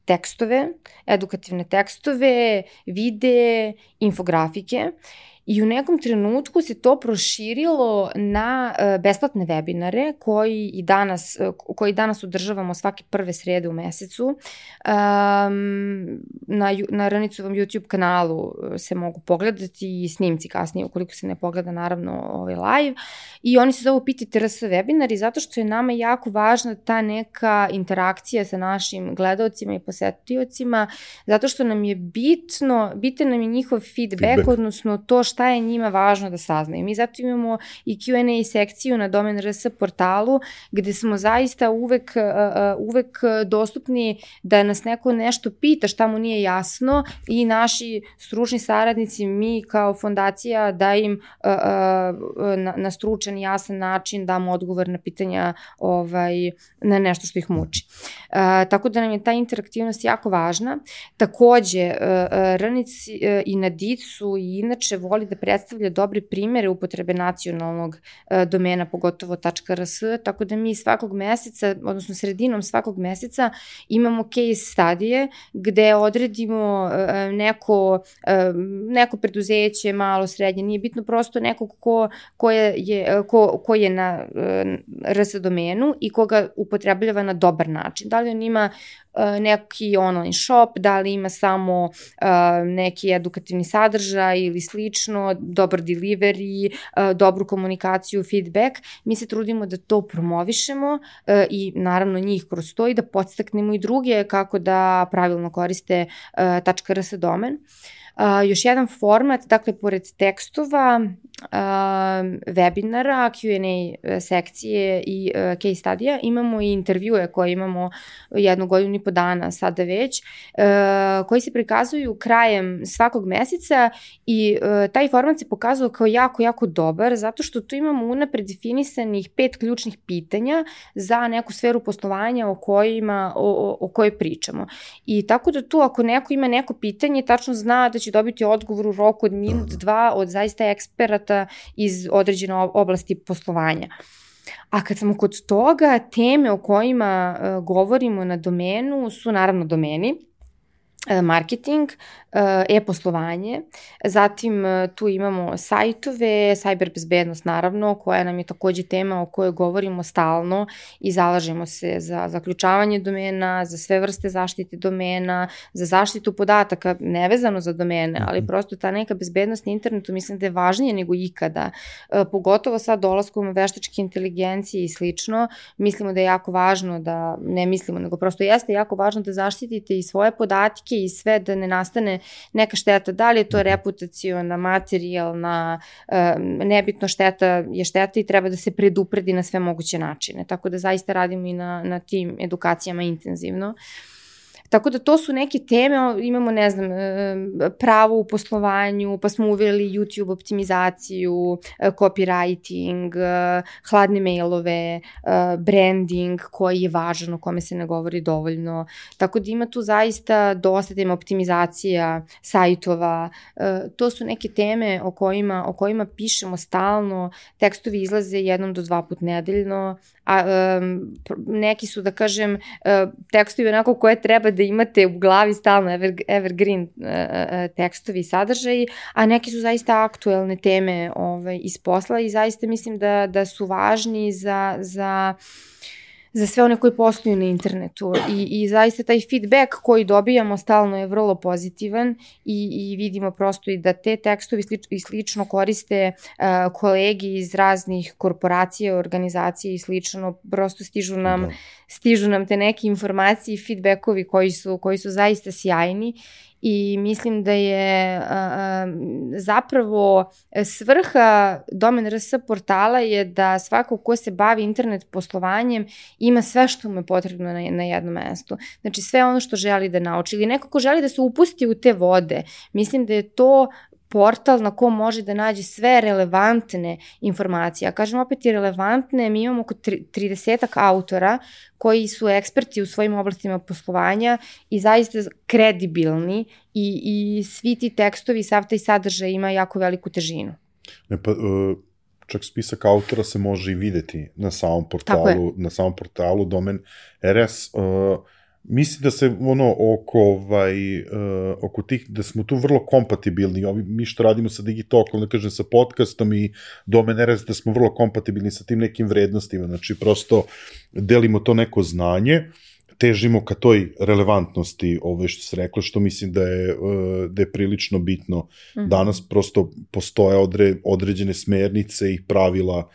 tekstove, edukativne tekstove, videe, infografike, i u nekom trenutku se to proširilo na besplatne webinare koji danas održavamo svake prve srede u mesecu. Na RN-icovom YouTube kanalu se mogu pogledati i snimci kasnije, ukoliko se ne pogleda naravno live. I oni se zovu Pitajte RS webinari, zato što je nama jako važna ta neka interakcija sa našim gledaocima i posetiocima, zato što nam je bitan nam je njihov feedback, odnosno to šta je njima važno da saznaju. Mi zato imamo i Q&A sekciju na Domen.rs portalu, gde smo zaista uvek dostupni da nas neko nešto pita šta mu nije jasno, i naši stručni saradnici, mi kao fondacija, da im na stručan i jasan način damo odgovor na pitanja na nešto što ih muči. Tako da nam je ta interaktivnost jako važna. Takođe, RN-ic i na DIC-u i inače voli da predstavlja dobre primere upotrebe nacionalnog domena, pogotovo .rs, tako da mi svakog meseca, odnosno sredinom svakog meseca, imamo case studije gde odredimo neko preduzeće, malo, srednje, nije bitno, prosto nekog ko je na RS domenu i koga upotrebljava na dobar način. Da li on ima neki online shop, da li ima samo neki edukativni sadržaj ili slično, dobar delivery, dobru komunikaciju, feedback. Mi se trudimo da to promovišemo i naravno njih kroz to i da podstaknemo i druge kako da pravilno koriste .rs domen. Još jedan format, dakle, pored tekstova, webinara, Q&A sekcije i case studija, imamo i intervjue koje imamo 1 godinu i po dana sada već, koji se prikazuju krajem svakog meseca, i taj format se pokazao kao jako, jako dobar, zato što tu imamo unapred definisanih 5 ključnih pitanja za neku sferu poslovanja o kojoj pričamo. I tako da tu, ako neko ima neko pitanje, tačno zna da će dobiti odgovor u roku od minut, 2 od zaista eksperata iz određene oblasti poslovanja. A kad smo kod toga, teme o kojima govorimo na domenu su naravno domeni, marketing, e-poslovanje, zatim tu imamo sajtove, cyber bezbednost naravno, koja nam je takođe tema o kojoj govorimo stalno i zalažemo se za zaključavanje domena, za sve vrste zaštite domena, za zaštitu podataka, nevezano za domene, ali prosto ta neka bezbednost na internetu mislim da je važnije nego ikada, pogotovo sad dolaskom veštačke inteligencije i slično. Mislimo da je jako važno da, ne mislimo, nego prosto jeste jako važno da zaštitite i svoje podatke i sve da ne nastane neka šteta, da li je to reputaciona, materijalna, nebitno šteta je šteta i treba da se predupredi na sve moguće načine, tako da zaista radimo i na tim edukacijama intenzivno. Tako da to su neke teme, imamo, ne znam, pravo u poslovanju, pa smo uveli YouTube optimizaciju, copywriting, hladne mailove, branding koji je važan, o kome se ne govori dovoljno. Tako da ima tu zaista dosta tema, optimizacija sajtova. To su neke teme o kojima pišemo stalno, tekstovi izlaze 1 do 2 puta nedeljno, a neki su, da kažem, tekstovi onako koje treba da imate u glavi stalno, evergreen tekstovi i sadržaji, a neki su zaista aktuelne teme iz posla i zaista mislim da su važni za sve one koji posluju na internetu i zaista taj feedback koji dobijamo stalno je vrlo pozitivan i vidimo prosto i da te tekstovi i slično koriste kolegi iz raznih korporacija, organizacija i slično, prosto stižu nam te neke informacije i feedbackovi koji su zaista sjajni. I mislim da je zapravo svrha Domen.rs portala je da svako ko se bavi internet poslovanjem ima sve što mu je potrebno na jednom mestu. Znači sve ono što želi da nauči ili neko ko želi da se upusti u te vode. Mislim da je to portal na kom može da nađe sve relevantne informacije. A kažem opet i relevantne, mi imamo oko 30 autora koji su eksperti u svojim oblastima poslovanja i zaista kredibilni i svi ti tekstovi, sav taj sadržaj ima jako veliku težinu. Čak spisak autora se može i videti na samom portalu Domen.rs. Mislim da se oko tih, da smo tu vrlo kompatibilni, mi što radimo sa Digitokom, da kažem sa podcastom i Domen.rs, da smo vrlo kompatibilni sa tim nekim vrednostima, znači prosto delimo to neko znanje, težimo ka toj relevantnosti, što se reklo, što mislim da je prilično bitno. Danas prosto postoje određene smernice i pravila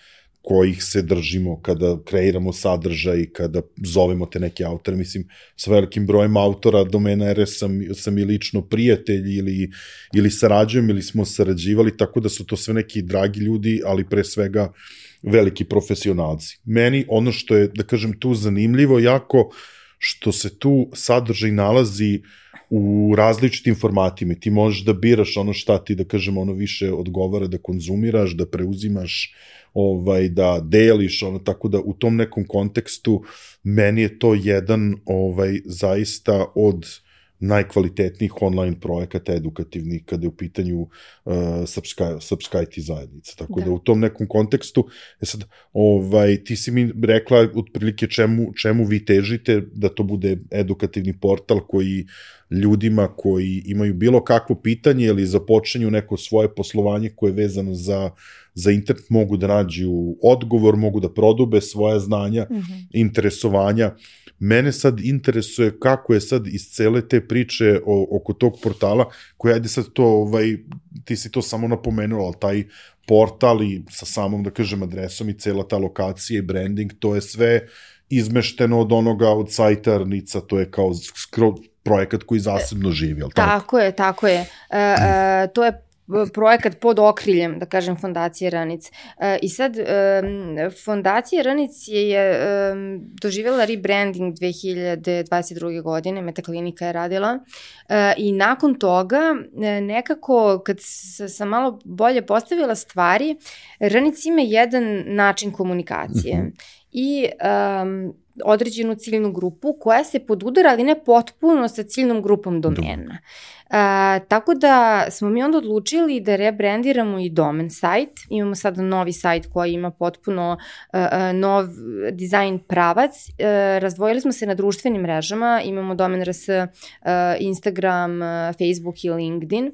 kojih se držimo kada kreiramo sadržaj, kada zovemo te neke autore. Mislim, s velikim brojem autora Domena.rs sam i lično prijatelj ili sarađujem ili smo sarađivali, tako da su to sve neki dragi ljudi, ali pre svega veliki profesionalci. Meni ono što je, da kažem, tu zanimljivo jako, što se tu sadržaj nalazi u različitim formatima. Ti možeš da biraš ono šta ti, da kažem, ono više odgovara da konzumiraš, da preuzimaš, da deliš, tako da u tom nekom kontekstu meni je to jedan zaista od najkvalitetnijih online projekata edukativnih kada je u pitanju srpska IT zajednica. Tako da u tom nekom kontekstu, sad, ti si mi rekla otprilike čemu vi težite, da to bude edukativni portal koji ljudima koji imaju bilo kakvo pitanje ili započinju neko svoje poslovanje koje je vezano za internet, mogu da nađu odgovor, mogu da prodube svoja znanja, interesovanja. Mene sad interesuje kako je sad iz cele te priče oko tog portala, koji, ajde sad to, ti si to samo napomenula, ali taj portal i sa samom, da kažem, adresom i cela ta lokacija i branding, to je sve izmešteno od sajta Arnica, to je kao projekat koji zasebno živi, ali tako? Tako je. To je projekat pod okriljem, da kažem, Fondacije Ranic. I sad, Fondacija Ranic je doživjela rebranding 2022. godine, Metaklinika je radila i nakon toga nekako, kad sam malo bolje postavila stvari, Ranic ima jedan način komunikacije i određenu ciljnu grupu koja se podudara, ali ne potpuno sa ciljnom grupom domena. Tako da smo mi onda odlučili da rebrandiramo i domen sajt. Imamo sada novi sajt koji ima potpuno nov dizajn pravac. Razdvojili smo se na društvenim mrežama. Imamo Domen.rs, Instagram, Facebook i LinkedIn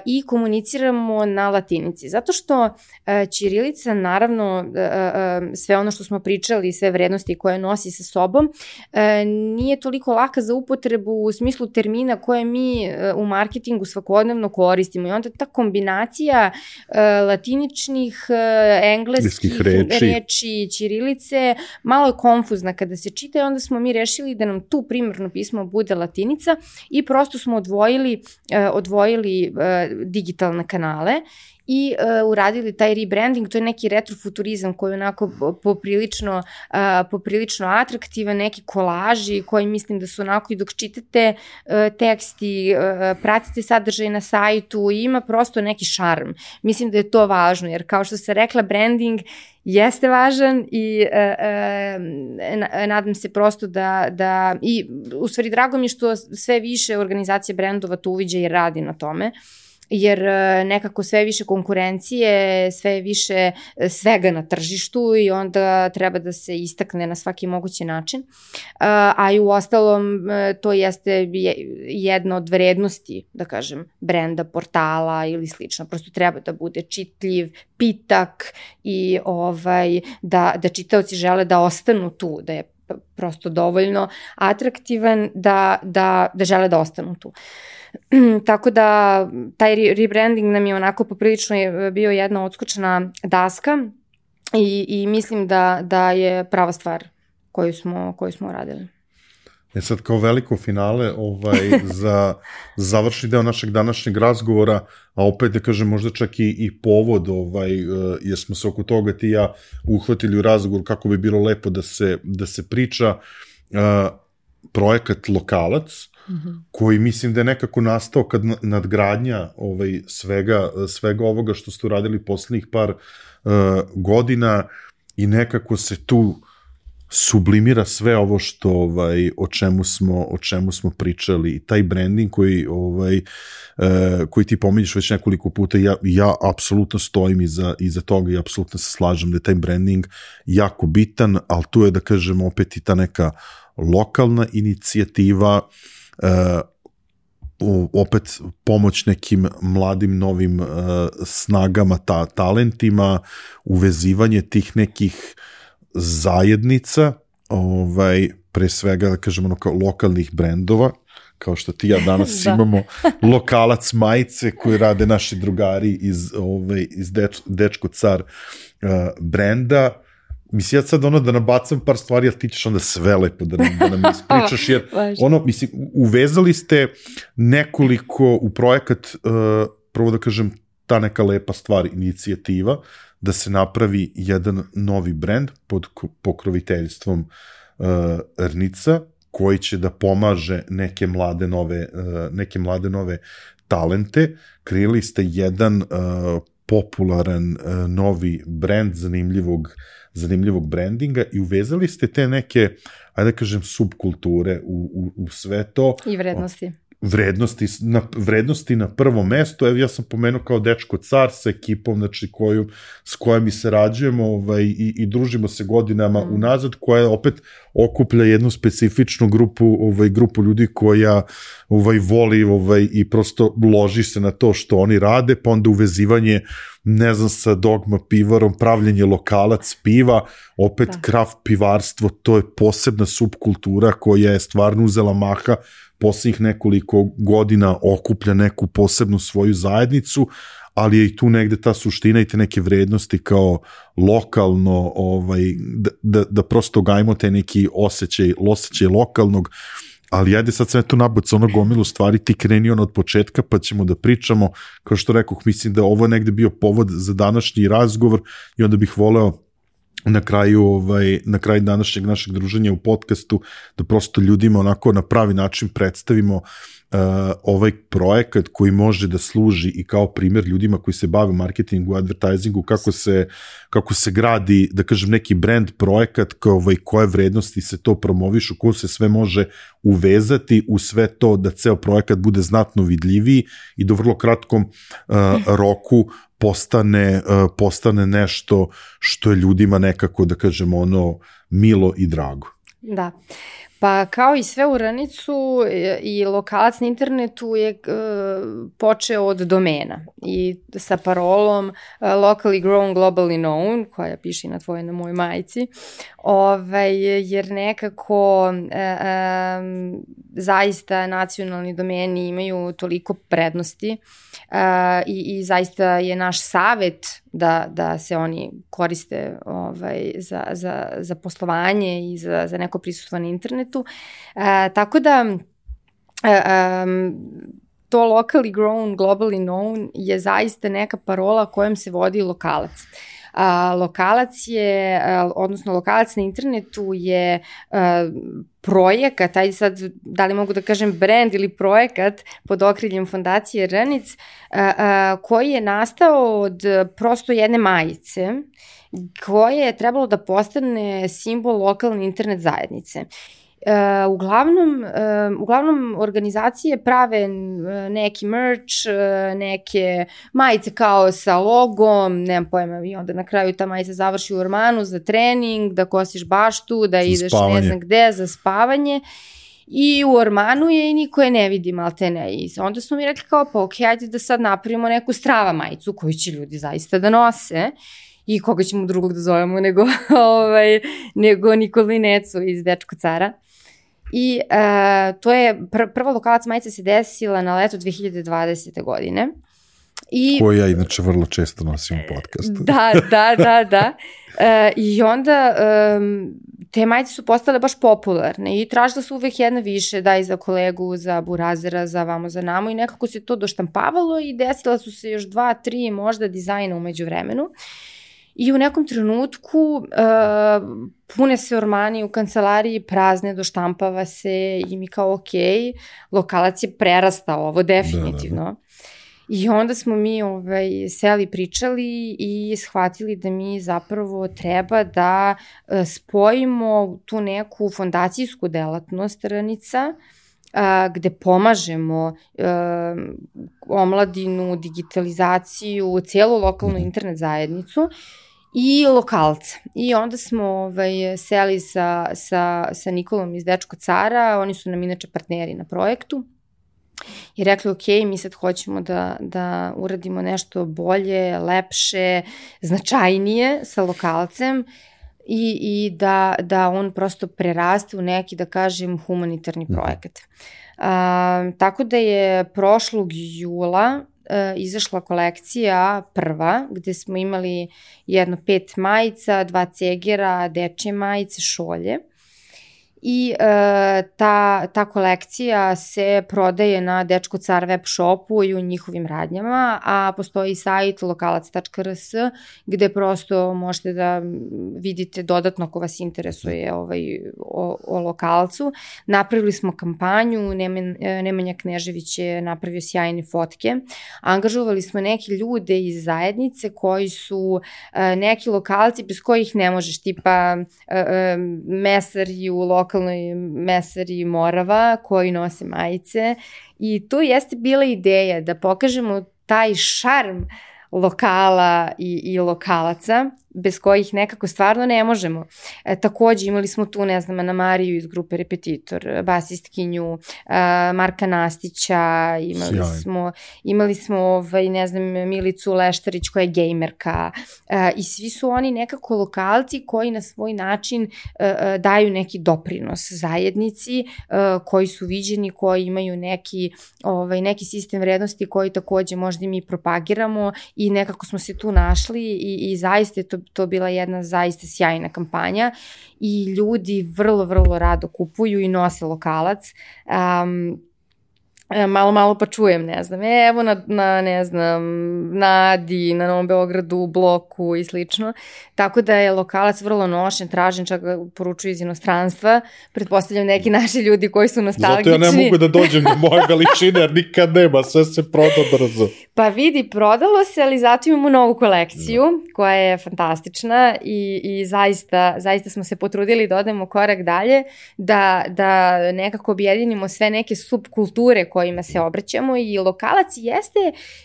i komuniciramo na latinici. Zato što ćirilica, naravno, sve ono što smo pričali, sve vrednosti koje nosi sa sobom, nije toliko laka za upotrebu u smislu termina koje mi u marketingu svakodnevno koristimo i onda ta kombinacija latiničnih, engleskih reči, ćirilice, malo je konfuzna kada se čita i onda smo mi rešili da nam tu primarno pismo bude latinica i prosto smo odvojili digitalne kanale i uradili taj rebranding. To je neki retrofuturizam koji je onako poprilično atraktivan, neki kolaži koji mislim da su onako i dok čitate tekst i pratite sadržaj na sajtu i ima prosto neki šarm. Mislim da je to važno jer kao što se rekla, branding jeste važan i nadam se prosto da i u stvari drago mi je što sve više organizacije brendova to uviđa i radi na tome, jer nekako sve više konkurencije, sve više svega na tržištu i onda treba da se istakne na svaki mogući način. A i u ostalom to jeste jedna od vrednosti, da kažem, brenda, portala ili slično. Prosto treba da bude čitljiv, pitak i da čitaoci žele da ostanu tu, da je prosto dovoljno atraktivan da žele da ostanu tu. Tako da taj rebranding nam je onako poprilično bio jedna odskočna daska i mislim da je prava stvar koju smo radili. Sad kao veliko finale za završni deo našeg današnjeg razgovora, a opet da kažem možda čak i povod, jer smo se oko toga ti ja uhvatili u razgovor kako bi bilo lepo da se priča, projekat Lokalac, koji mislim da je nekako nastao kad nadgradnja svega ovoga što ste uradili poslednjih par godina i nekako se tu sublimira sve ovo što o čemu smo pričali i taj branding koji ti pominješ već nekoliko puta, ja apsolutno stojim iza toga i apsolutno se slažem da je taj branding jako bitan, ali tu je da kažem opet i ta neka lokalna inicijativa, opet pomoć nekim mladim novim snagama, talentima, uvezivanje tih nekih zajednica, pre svega da kažem lokalnih brendova, kao što ti ja danas imamo Lokalac majice koje rade naši drugari iz Dečko car brenda. Mislim, ja sad da nabacam par stvari, ali ti ćeš onda sve lepo da nam ispričaš, jer mislim, uvezali ste nekoliko u projekat, prvo da kažem, ta neka lepa stvar, inicijativa, da se napravi jedan novi brend pod pokroviteljstvom Rnica, koji će da pomaže neke mlade nove talente. Kreirali ste jedan popularan novi brend zanimljivog brandinga i uvezali ste te neke, ajde da kažem, subkulture u sve to. I vrednosti. Vrednosti na prvo mesto. Evo ja sam pomenuo kao Dečko car sa ekipom, znači s kojom mi sarađujemo i družimo se godinama unazad, koja opet okuplja jednu specifičnu grupu ljudi koja voli i prosto loži se na to što oni rade, pa onda uvezivanje, ne znam, sa Dogma pivarom, pravljenje Lokalac piva, opet kraft pivarstvo, to je posebna subkultura koja je stvarno uzela maha poslednjih nekoliko godina, okuplja neku posebnu svoju zajednicu, ali je i tu negde ta suština i te neke vrednosti kao lokalno, da prosto gajimo te neki osjećaj lokalnog, ali ajde sad sve to nabac gomilu stvari, ti kreni od početka pa ćemo da pričamo, kao što rekoh, mislim da ovo je negde bio povod za današnji razgovor i onda bih voleo na kraju današnjeg našeg druženja u podcastu da prosto ljudima onako na pravi način predstavimo ovaj projekat koji može da služi i kao primjer ljudima koji se bave marketingu, advertisingu, kako se gradi, da kažem, neki brand projekat, koje vrednosti se to promovišu, ko se sve može uvezati u sve to da ceo projekat bude znatno vidljiviji i da u vrlo kratkom roku postane nešto što je ljudima nekako, da kažem, milo i drago. Da. Pa kao i sve u Ranicu i lokalac na internetu je počeo od domena i sa parolom locally grown, globally known, koja piše na tvojoj, na mojoj majici, jer nekako zaista nacionalni domeni imaju toliko prednosti i zaista je naš savet da se oni koriste za poslovanje i za neko prisustvo na internetu. Tako da to locally grown, globally known je zaista neka parola kojom se vodi lokalac. Lokalac je, odnosno lokalac na internetu je projekat, ajde sad, da li mogu da kažem brand ili projekat pod okriljem Fondacije Ranic, koji je nastao od prosto jedne majice, koje je trebalo da postane simbol lokalne internet zajednice. Uglavnom organizacije prave neki merch, neke majice kao sa logom, nemam pojma, i onda na kraju ta majica završi u ormanu za trening, da kosiš baštu, da ideš ne znam gde za spavanje. I u ormanu je i niko je ne vidi, maltene. I onda smo mi rekli kao, pa okej, ajde da sad napravimo neku strava majicu koju će ljudi zaista da nose. I koga ćemo drugog da zovemo nego Nikolu i Necu iz Dečko cara. I to je, prva lokalac majica se desila na leto 2020. godine. Koju ja inače vrlo često nosim u podcastu. Da. I onda te majice su postale baš popularne i tražila su uvek jedna više, da i za kolegu, za burazera, za vamo, za namo i nekako se to doštampavalo i desila su se još 2-3 možda dizajna umeđu vremenu. I u nekom trenutku pune se ormani u kancelariji, prazne, doštampava se i mi kao okej, lokalac je prerastao ovo definitivno. Da. I onda smo mi seli, pričali i shvatili da mi zapravo treba da spojimo tu neku fondacijsku delatnost Ranica, gde pomažemo omladinu, digitalizaciju, cijelu lokalnu internet zajednicu i lokalca. I onda smo seli sa Nikolom iz Dečko cara, oni su nam inače partneri na projektu, i rekli okej, mi sad hoćemo da uradimo nešto bolje, lepše, značajnije sa lokalcem i da on prosto preraste u neki, da kažem, humanitarni projekat. Tako da je prošlog jula izašla kolekcija prva, gde smo imali 5 majica, 2 cegera, dečje majice, šolje. I ta kolekcija se prodaje na Dečko car web shopu i u njihovim radnjama, a postoji sajt lokalac.rs gde prosto možete da vidite dodatno ako vas interesuje o lokalcu. Napravili smo kampanju, Nemanja Knežević je napravio sjajne fotke, angažovali smo neke ljude iz zajednice koji su neki lokalci bez kojih ne možeš, tipa mesari u lokalnoj mesari Morava koji nose majice i tu jeste bila ideja da pokažemo taj šarm lokala i lokalaca bez kojih nekako stvarno ne možemo. Takođe imali smo tu, ne znam, Ana Mariju iz grupe Repetitor, basistkinju, Marka Nastića, imali smo ne znam, Milicu Leštarić koja je gejmerka i svi su oni nekako lokalci koji na svoj način daju neki doprinos zajednici, koji su viđeni, koji imaju neki sistem vrednosti koji takođe možda mi propagiramo i nekako smo se tu našli i zaista je to bila jedna zaista sjajna kampanja i ljudi vrlo, vrlo rado kupuju i nose lokalac. Malo pa čujem, ne znam, evo na Adi, na Novom Beogradu, Bloku i slično. Tako da je lokalac vrlo nošen, tražen, čak ga poručuju iz inostranstva. Pretpostavljam neki naši ljudi koji su nostalgični. Zato ja ne mogu da dođem do moje veličine, jer nikad nema, sve se proda brzo. Pa vidi, prodalo se, ali zato imamo novu kolekciju koja je fantastična i zaista smo se potrudili da odemo korak dalje, da nekako objedinimo sve neke subkulture kojima se obraćamo i lokalac jeste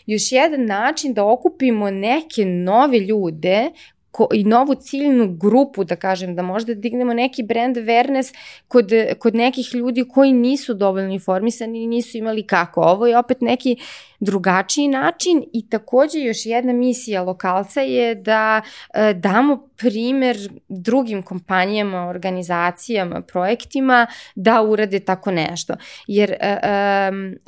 još jedan način da okupimo neke nove ljude i novu ciljnu grupu, da kažem, da možda dignemo neki brand awareness kod nekih ljudi koji nisu dovoljno informisani i nisu imali kako. Ovo je opet neki drugačiji način i takođe još jedna misija lokalca je da damo primer drugim kompanijama, organizacijama, projektima da urade tako nešto. Jer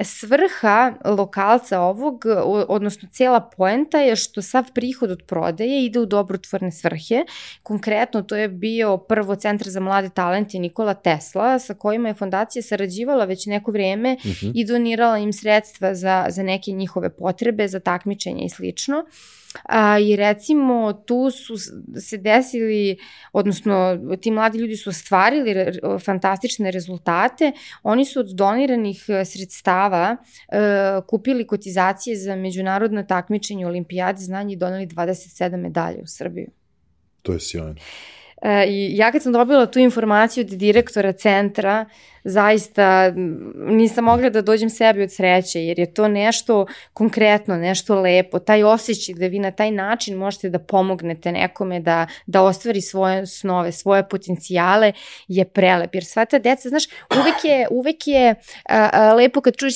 svrha lokalca ovog, odnosno cela poenta je što sav prihod od prodaje ide u dobrotvorne svrhe. Konkretno to je bio prvo Centar za mlade talente Nikola Tesla, sa kojima je fondacija sarađivala već neko vreme i donirala im sredstva za neke njihove potrebe, za takmičenje i slično. I recimo tu su se desili, odnosno ti mladi ljudi su ostvarili fantastične rezultate. Oni su od doniranih sredstava kupili kotizacije za međunarodno takmičenje u olimpijadi znanja i doneli 27 medalje u Srbiju. To je sjajno. I ja kad sam dobila tu informaciju od direktora centra, zaista nisam mogla da dođem sebi od sreće, jer je to nešto konkretno, nešto lepo, taj osjećaj da vi na taj način možete da pomognete nekome da ostvari svoje snove, svoje potencijale je prelep, jer sva ta deca, znaš, uvek je lepo kad čuješ,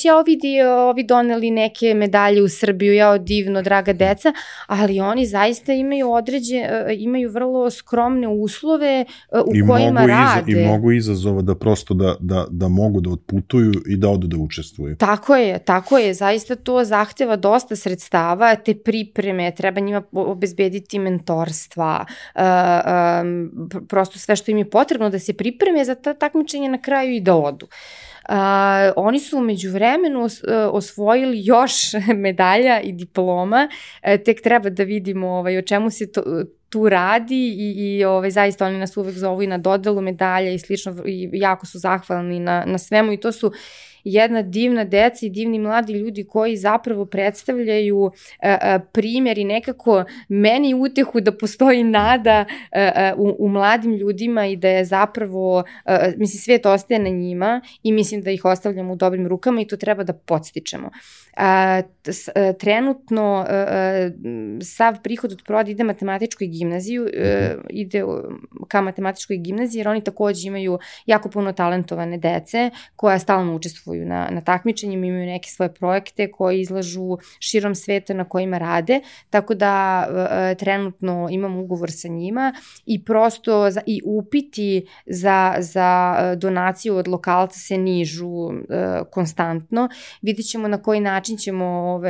ovi doneli neke medalje u Srbiju, divno, draga deca, ali oni zaista imaju vrlo skromne uslove u kojima rade. I mnogo izazova da prosto da mogu da otputuju i da odu da učestvuju. Tako je, zaista to zahteva dosta sredstava, te pripreme, treba njima obezbediti mentorstva, prosto sve što im je potrebno da se pripreme za ta takmičenja na kraju i da odu. Oni su umeđu vremenu osvojili još medalja i diploma, tek treba da vidimo o čemu se tu radi i zaista oni nas uvek zovu i na dodelu medalja i slično i jako su zahvalni na svemu i to su jedna divna deca i divni mladi ljudi koji zapravo predstavljaju primjer i nekako meni utehu da postoji nada u mladim ljudima i da je zapravo, mislim, svijet ostaje na njima i mislim da ih ostavljamo u dobrim rukama i to treba da podstičemo. Trenutno sav prihod od prodaje ide matematičkoj gimnaziju, ide ka matematičkoj gimnaziji jer oni takođe imaju jako puno talentovane dece koja stalno učestvuju na takmičenjima, imaju neke svoje projekte koji izlažu širom sveta na kojima rade, tako da trenutno imam ugovor sa njima i prosto i upiti za donaciju od lokalca se nižu konstantno. Vidjet ćemo na koji način ćemo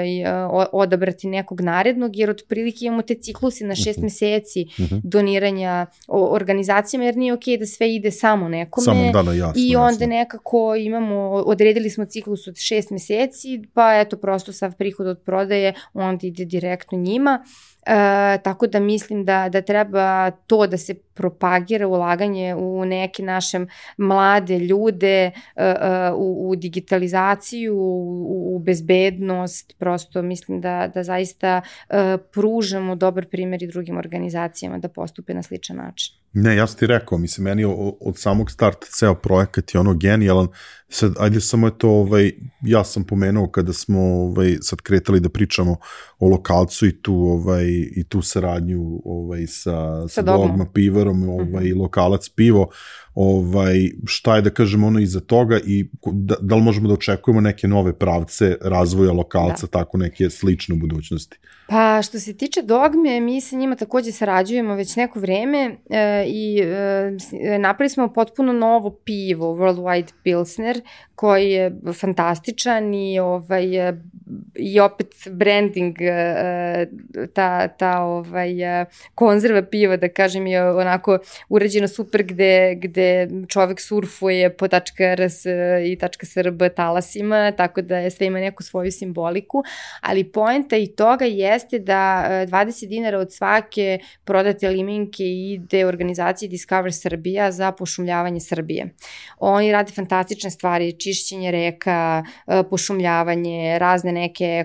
odabrati nekog narednog, jer otprilike imamo te cikluse na 6 meseci doniranja organizacijama, jer nije okej da sve ide samo nekome i onda nekako imamo, odredili smo ciklus od 6 meseci, pa eto prosto sav prihod od prodaje onda ide direktno njima. Tako da mislim da treba to da se propagira ulaganje u neke naše mlade ljude, u digitalizaciju, u bezbednost, prosto mislim da zaista pružamo dobar primjer i drugim organizacijama da postupe na sličan način. Ne, ja sam ti rekao, mislim, meni od samog starta ceo projekat je genijalan. Sad, ajde samo je to, ja sam pomenuo kada smo sad kretali da pričamo o lokalcu i tu saradnju sa Dogma pivarom i lokalac pivo, šta je da kažem iza toga i da li možemo da očekujemo neke nove pravce razvoja lokalca, tako neke slične u budućnosti? Pa što se tiče Dogme, mi sa njima takođe sarađujemo već neko vreme i napravili smo potpuno novo pivo, Worldwide Pilsner, koji je fantastičan i opet branding, ta konzerva piva, da kažem, je onako urađena super gde čovek surfuje po .rs i .srb talasima, tako da sve ima neku svoju simboliku, ali poenta i toga jeste da 20 dinara od svake prodate limenke ide organizaciji Discover Srbija za pošumljavanje Srbije. Oni rade fantastične stvari, čišćenje reka, pošumljavanje, razne neke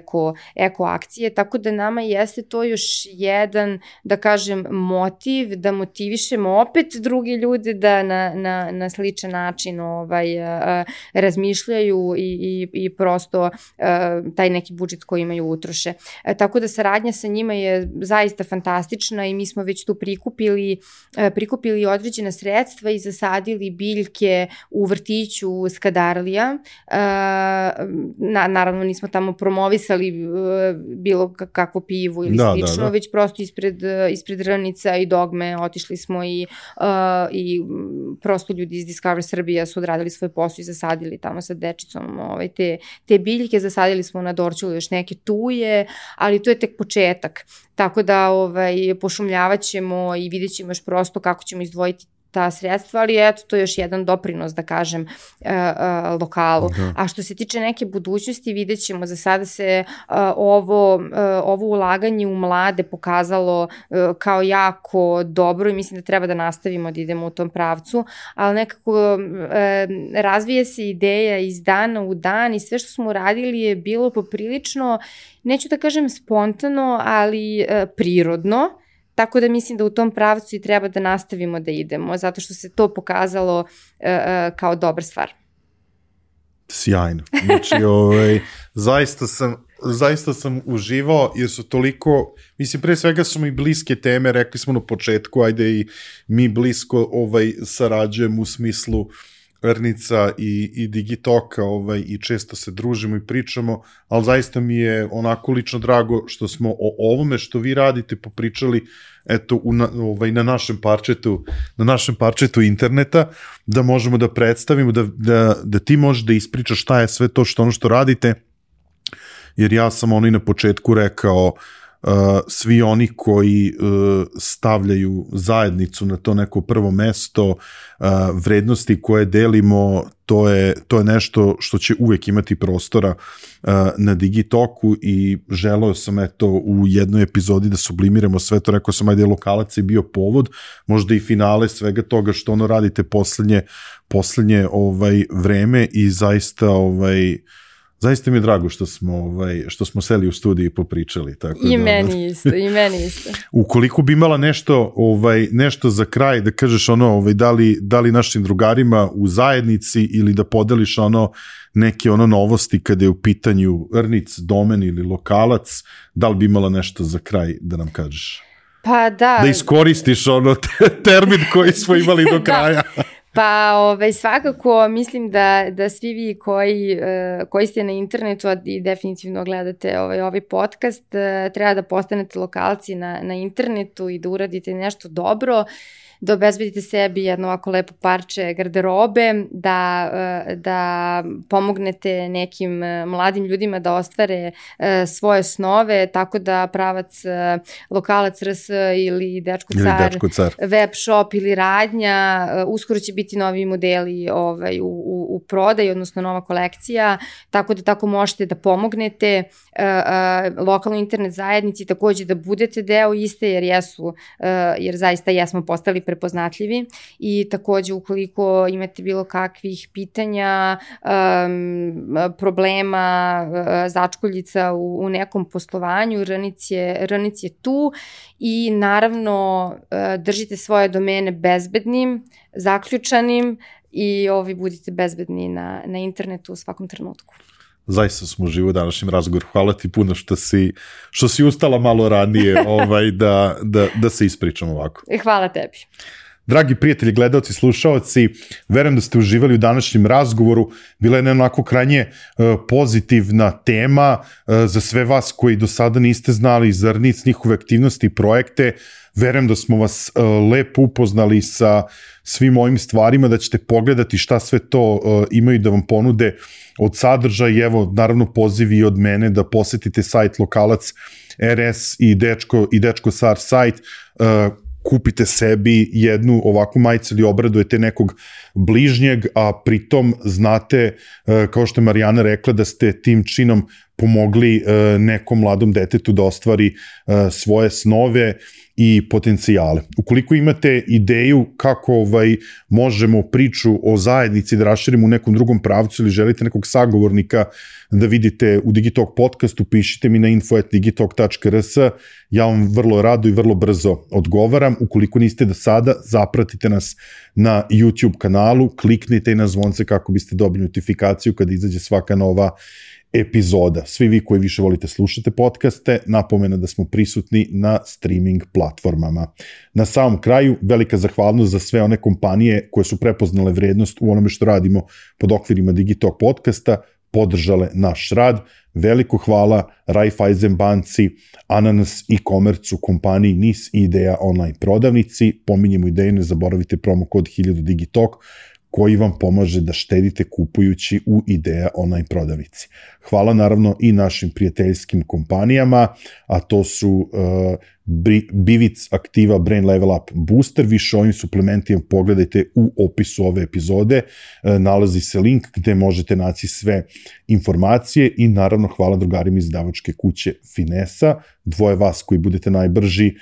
eko akcije, tako da nama jeste to još jedan, da kažem, motiv, da motivišemo opet drugi ljude da na sličan način razmišljaju i prosto taj neki budžet koji imaju utroše. Tako da saradnja sa njima je zaista fantastična i mi smo već tu prikupili određena sredstva i zasadili biljke u vrtiću Skadarlija. Naravno nismo tamo promovisali bilo kakvo pivo ili slično, već prosto ispred Rnica i Dogme otišli smo i prosto ljudi iz Discover Srbija su odradili svoj posao i zasadili tamo sa dečicom te biljke, zasadili smo na Dorćolu još neke tuje, ali to je tek početak. Tako da pošumljavat ćemo i vidjet ćemo još prosto kako ćemo izdvojiti ta sredstva, ali eto, to je još jedan doprinos, da kažem, lokalu. A što se tiče neke budućnosti, vidjet ćemo, za sada se ovo ulaganje u mlade pokazalo kao jako dobro i mislim da treba da nastavimo da idemo u tom pravcu, ali nekako razvije se ideja iz dana u dan i sve što smo uradili je bilo poprilično, neću da kažem spontano, ali prirodno. Tako da mislim da u tom pravcu i treba da nastavimo da idemo, zato što se to pokazalo kao dobra stvar. Sjajno. Znači, zaista sam uživao, jer su toliko, mislim, pre svega su mi bliske teme, rekli smo na početku, ajde i mi blisko sarađujemo u smislu Rnica i Digitoka i često se družimo i pričamo, ali zaista mi je onako lično drago što smo o ovome što vi radite popričali eto na našem parčetu interneta, da možemo da predstavimo, da ti možeš da ispričaš šta je sve to ono što radite, jer ja sam i na početku rekao, svi oni koji stavljaju zajednicu na to neko prvo mesto, vrednosti koje delimo, to je nešto što će uvek imati prostora na Digitoku i želeo sam u jednoj epizodi da sublimiramo sve to, rekao sam ajde Lokalac je bio povod, možda i finale svega toga što radite poslednje vreme i zaista mi je drago što smo seli u studiju i popričali. Tako I meni isto. Ukoliko bi imala nešto za kraj, da kažeš da li našim drugarima u zajednici ili da podeliš neke novosti kada je u pitanju Rnic, Domen ili Lokalac, da li bi imala nešto za kraj da nam kažeš? Pa da. Da iskoristiš termin koji smo imali do kraja. Pa svakako mislim da svi vi koji ste na internetu i definitivno gledate ovaj podcast, treba da postanete lokalci na internetu i da uradite nešto dobro, da obezbedite sebi jedno ovako lepo parče garderobe, da pomognete nekim mladim ljudima da ostvare svoje snove, tako da pravac Lokalac RS ili Dečko Car, web shop ili radnja, uskoro će biti novi modeli u prodaju, odnosno nova kolekcija, tako da tako možete da pomognete lokalnoj internet zajednici, takođe da budete deo iste, jer zaista jesmo postali prepoznatljivi i takođe ukoliko imate bilo kakvih pitanja, problema, začkoljica u nekom poslovanju, Rnic je tu i naravno držite svoje domene bezbednim, zaključanim i budite bezbedni na internetu u svakom trenutku. Zaista smo uživo u današnjem razgovoru. Hvala ti puno što si ustala malo ranije da se ispričamo ovako. Hvala tebi. Dragi prijatelji, gledalci, slušaoci, verujem da ste uživali u današnjem razgovoru. Bila je jedna onako krajnje pozitivna tema za sve vas koji do sada niste znali za Rnic, njihove aktivnosti i projekte. Verujem da smo vas lepo upoznali sa svim ovim stvarima, da ćete pogledati šta sve to imaju da vam ponude od sadržaja i evo, naravno, pozivi od mene da posetite sajt Lokalac RS i Dečko Car sajt, kupite sebi jednu ovakvu majicu ili obradujete nekog bližnjeg, a pritom znate, kao što je Marijana rekla, da ste tim činom pomogli nekom mladom detetu da ostvari svoje snove i potencijale. Ukoliko imate ideju kako možemo priču o zajednici da raširimo u nekom drugom pravcu ili želite nekog sagovornika da vidite u Digitalk podcastu, pišite mi na info@digitalk.rs, ja vam vrlo rado i vrlo brzo odgovaram. Ukoliko niste do sada, zapratite nas na YouTube kanalu, kliknite i na zvonce kako biste dobili notifikaciju kada izađe svaka nova epizoda. Svi vi koji više volite slušate podcaste, napomena da smo prisutni na streaming platformama. Na samom kraju, velika zahvalnost za sve one kompanije koje su prepoznale vrednost u onome što radimo pod okvirima Digitalk podcasta, podržale naš rad. Veliko hvala Raiffeisen banci, Ananas e-commerce-u, kompaniji NIS i Ideja online prodavnici. Pominjemo Ideju, ne zaboravite promo kod 1000 Digitalk koji vam pomaže da štedite kupujući u Ideja online prodavnici. Hvala naravno i našim prijateljskim kompanijama, a to su Bivic, Aktiva, Brain Level Up, Booster. Više o ovim suplementima pogledajte u opisu ove epizode. Nalazi se link gde možete naći sve informacije i naravno hvala drugarima iz izdavačke kuće Finesa. Dvoje vas koji budete najbrži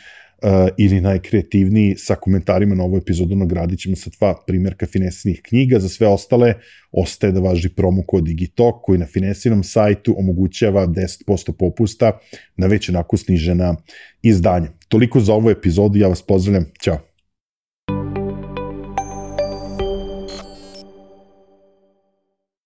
ili najkreativniji sa komentarima na ovu epizodu nagradit ćemo sa 2 primjerka Finesinih knjiga. Za sve ostale ostaje da važi promo kod Digitalk koji na Finesinom sajtu omogućava 10% popusta na već onako snižena izdanja. Toliko za ovu epizodu, ja vas pozdravljam, ćao!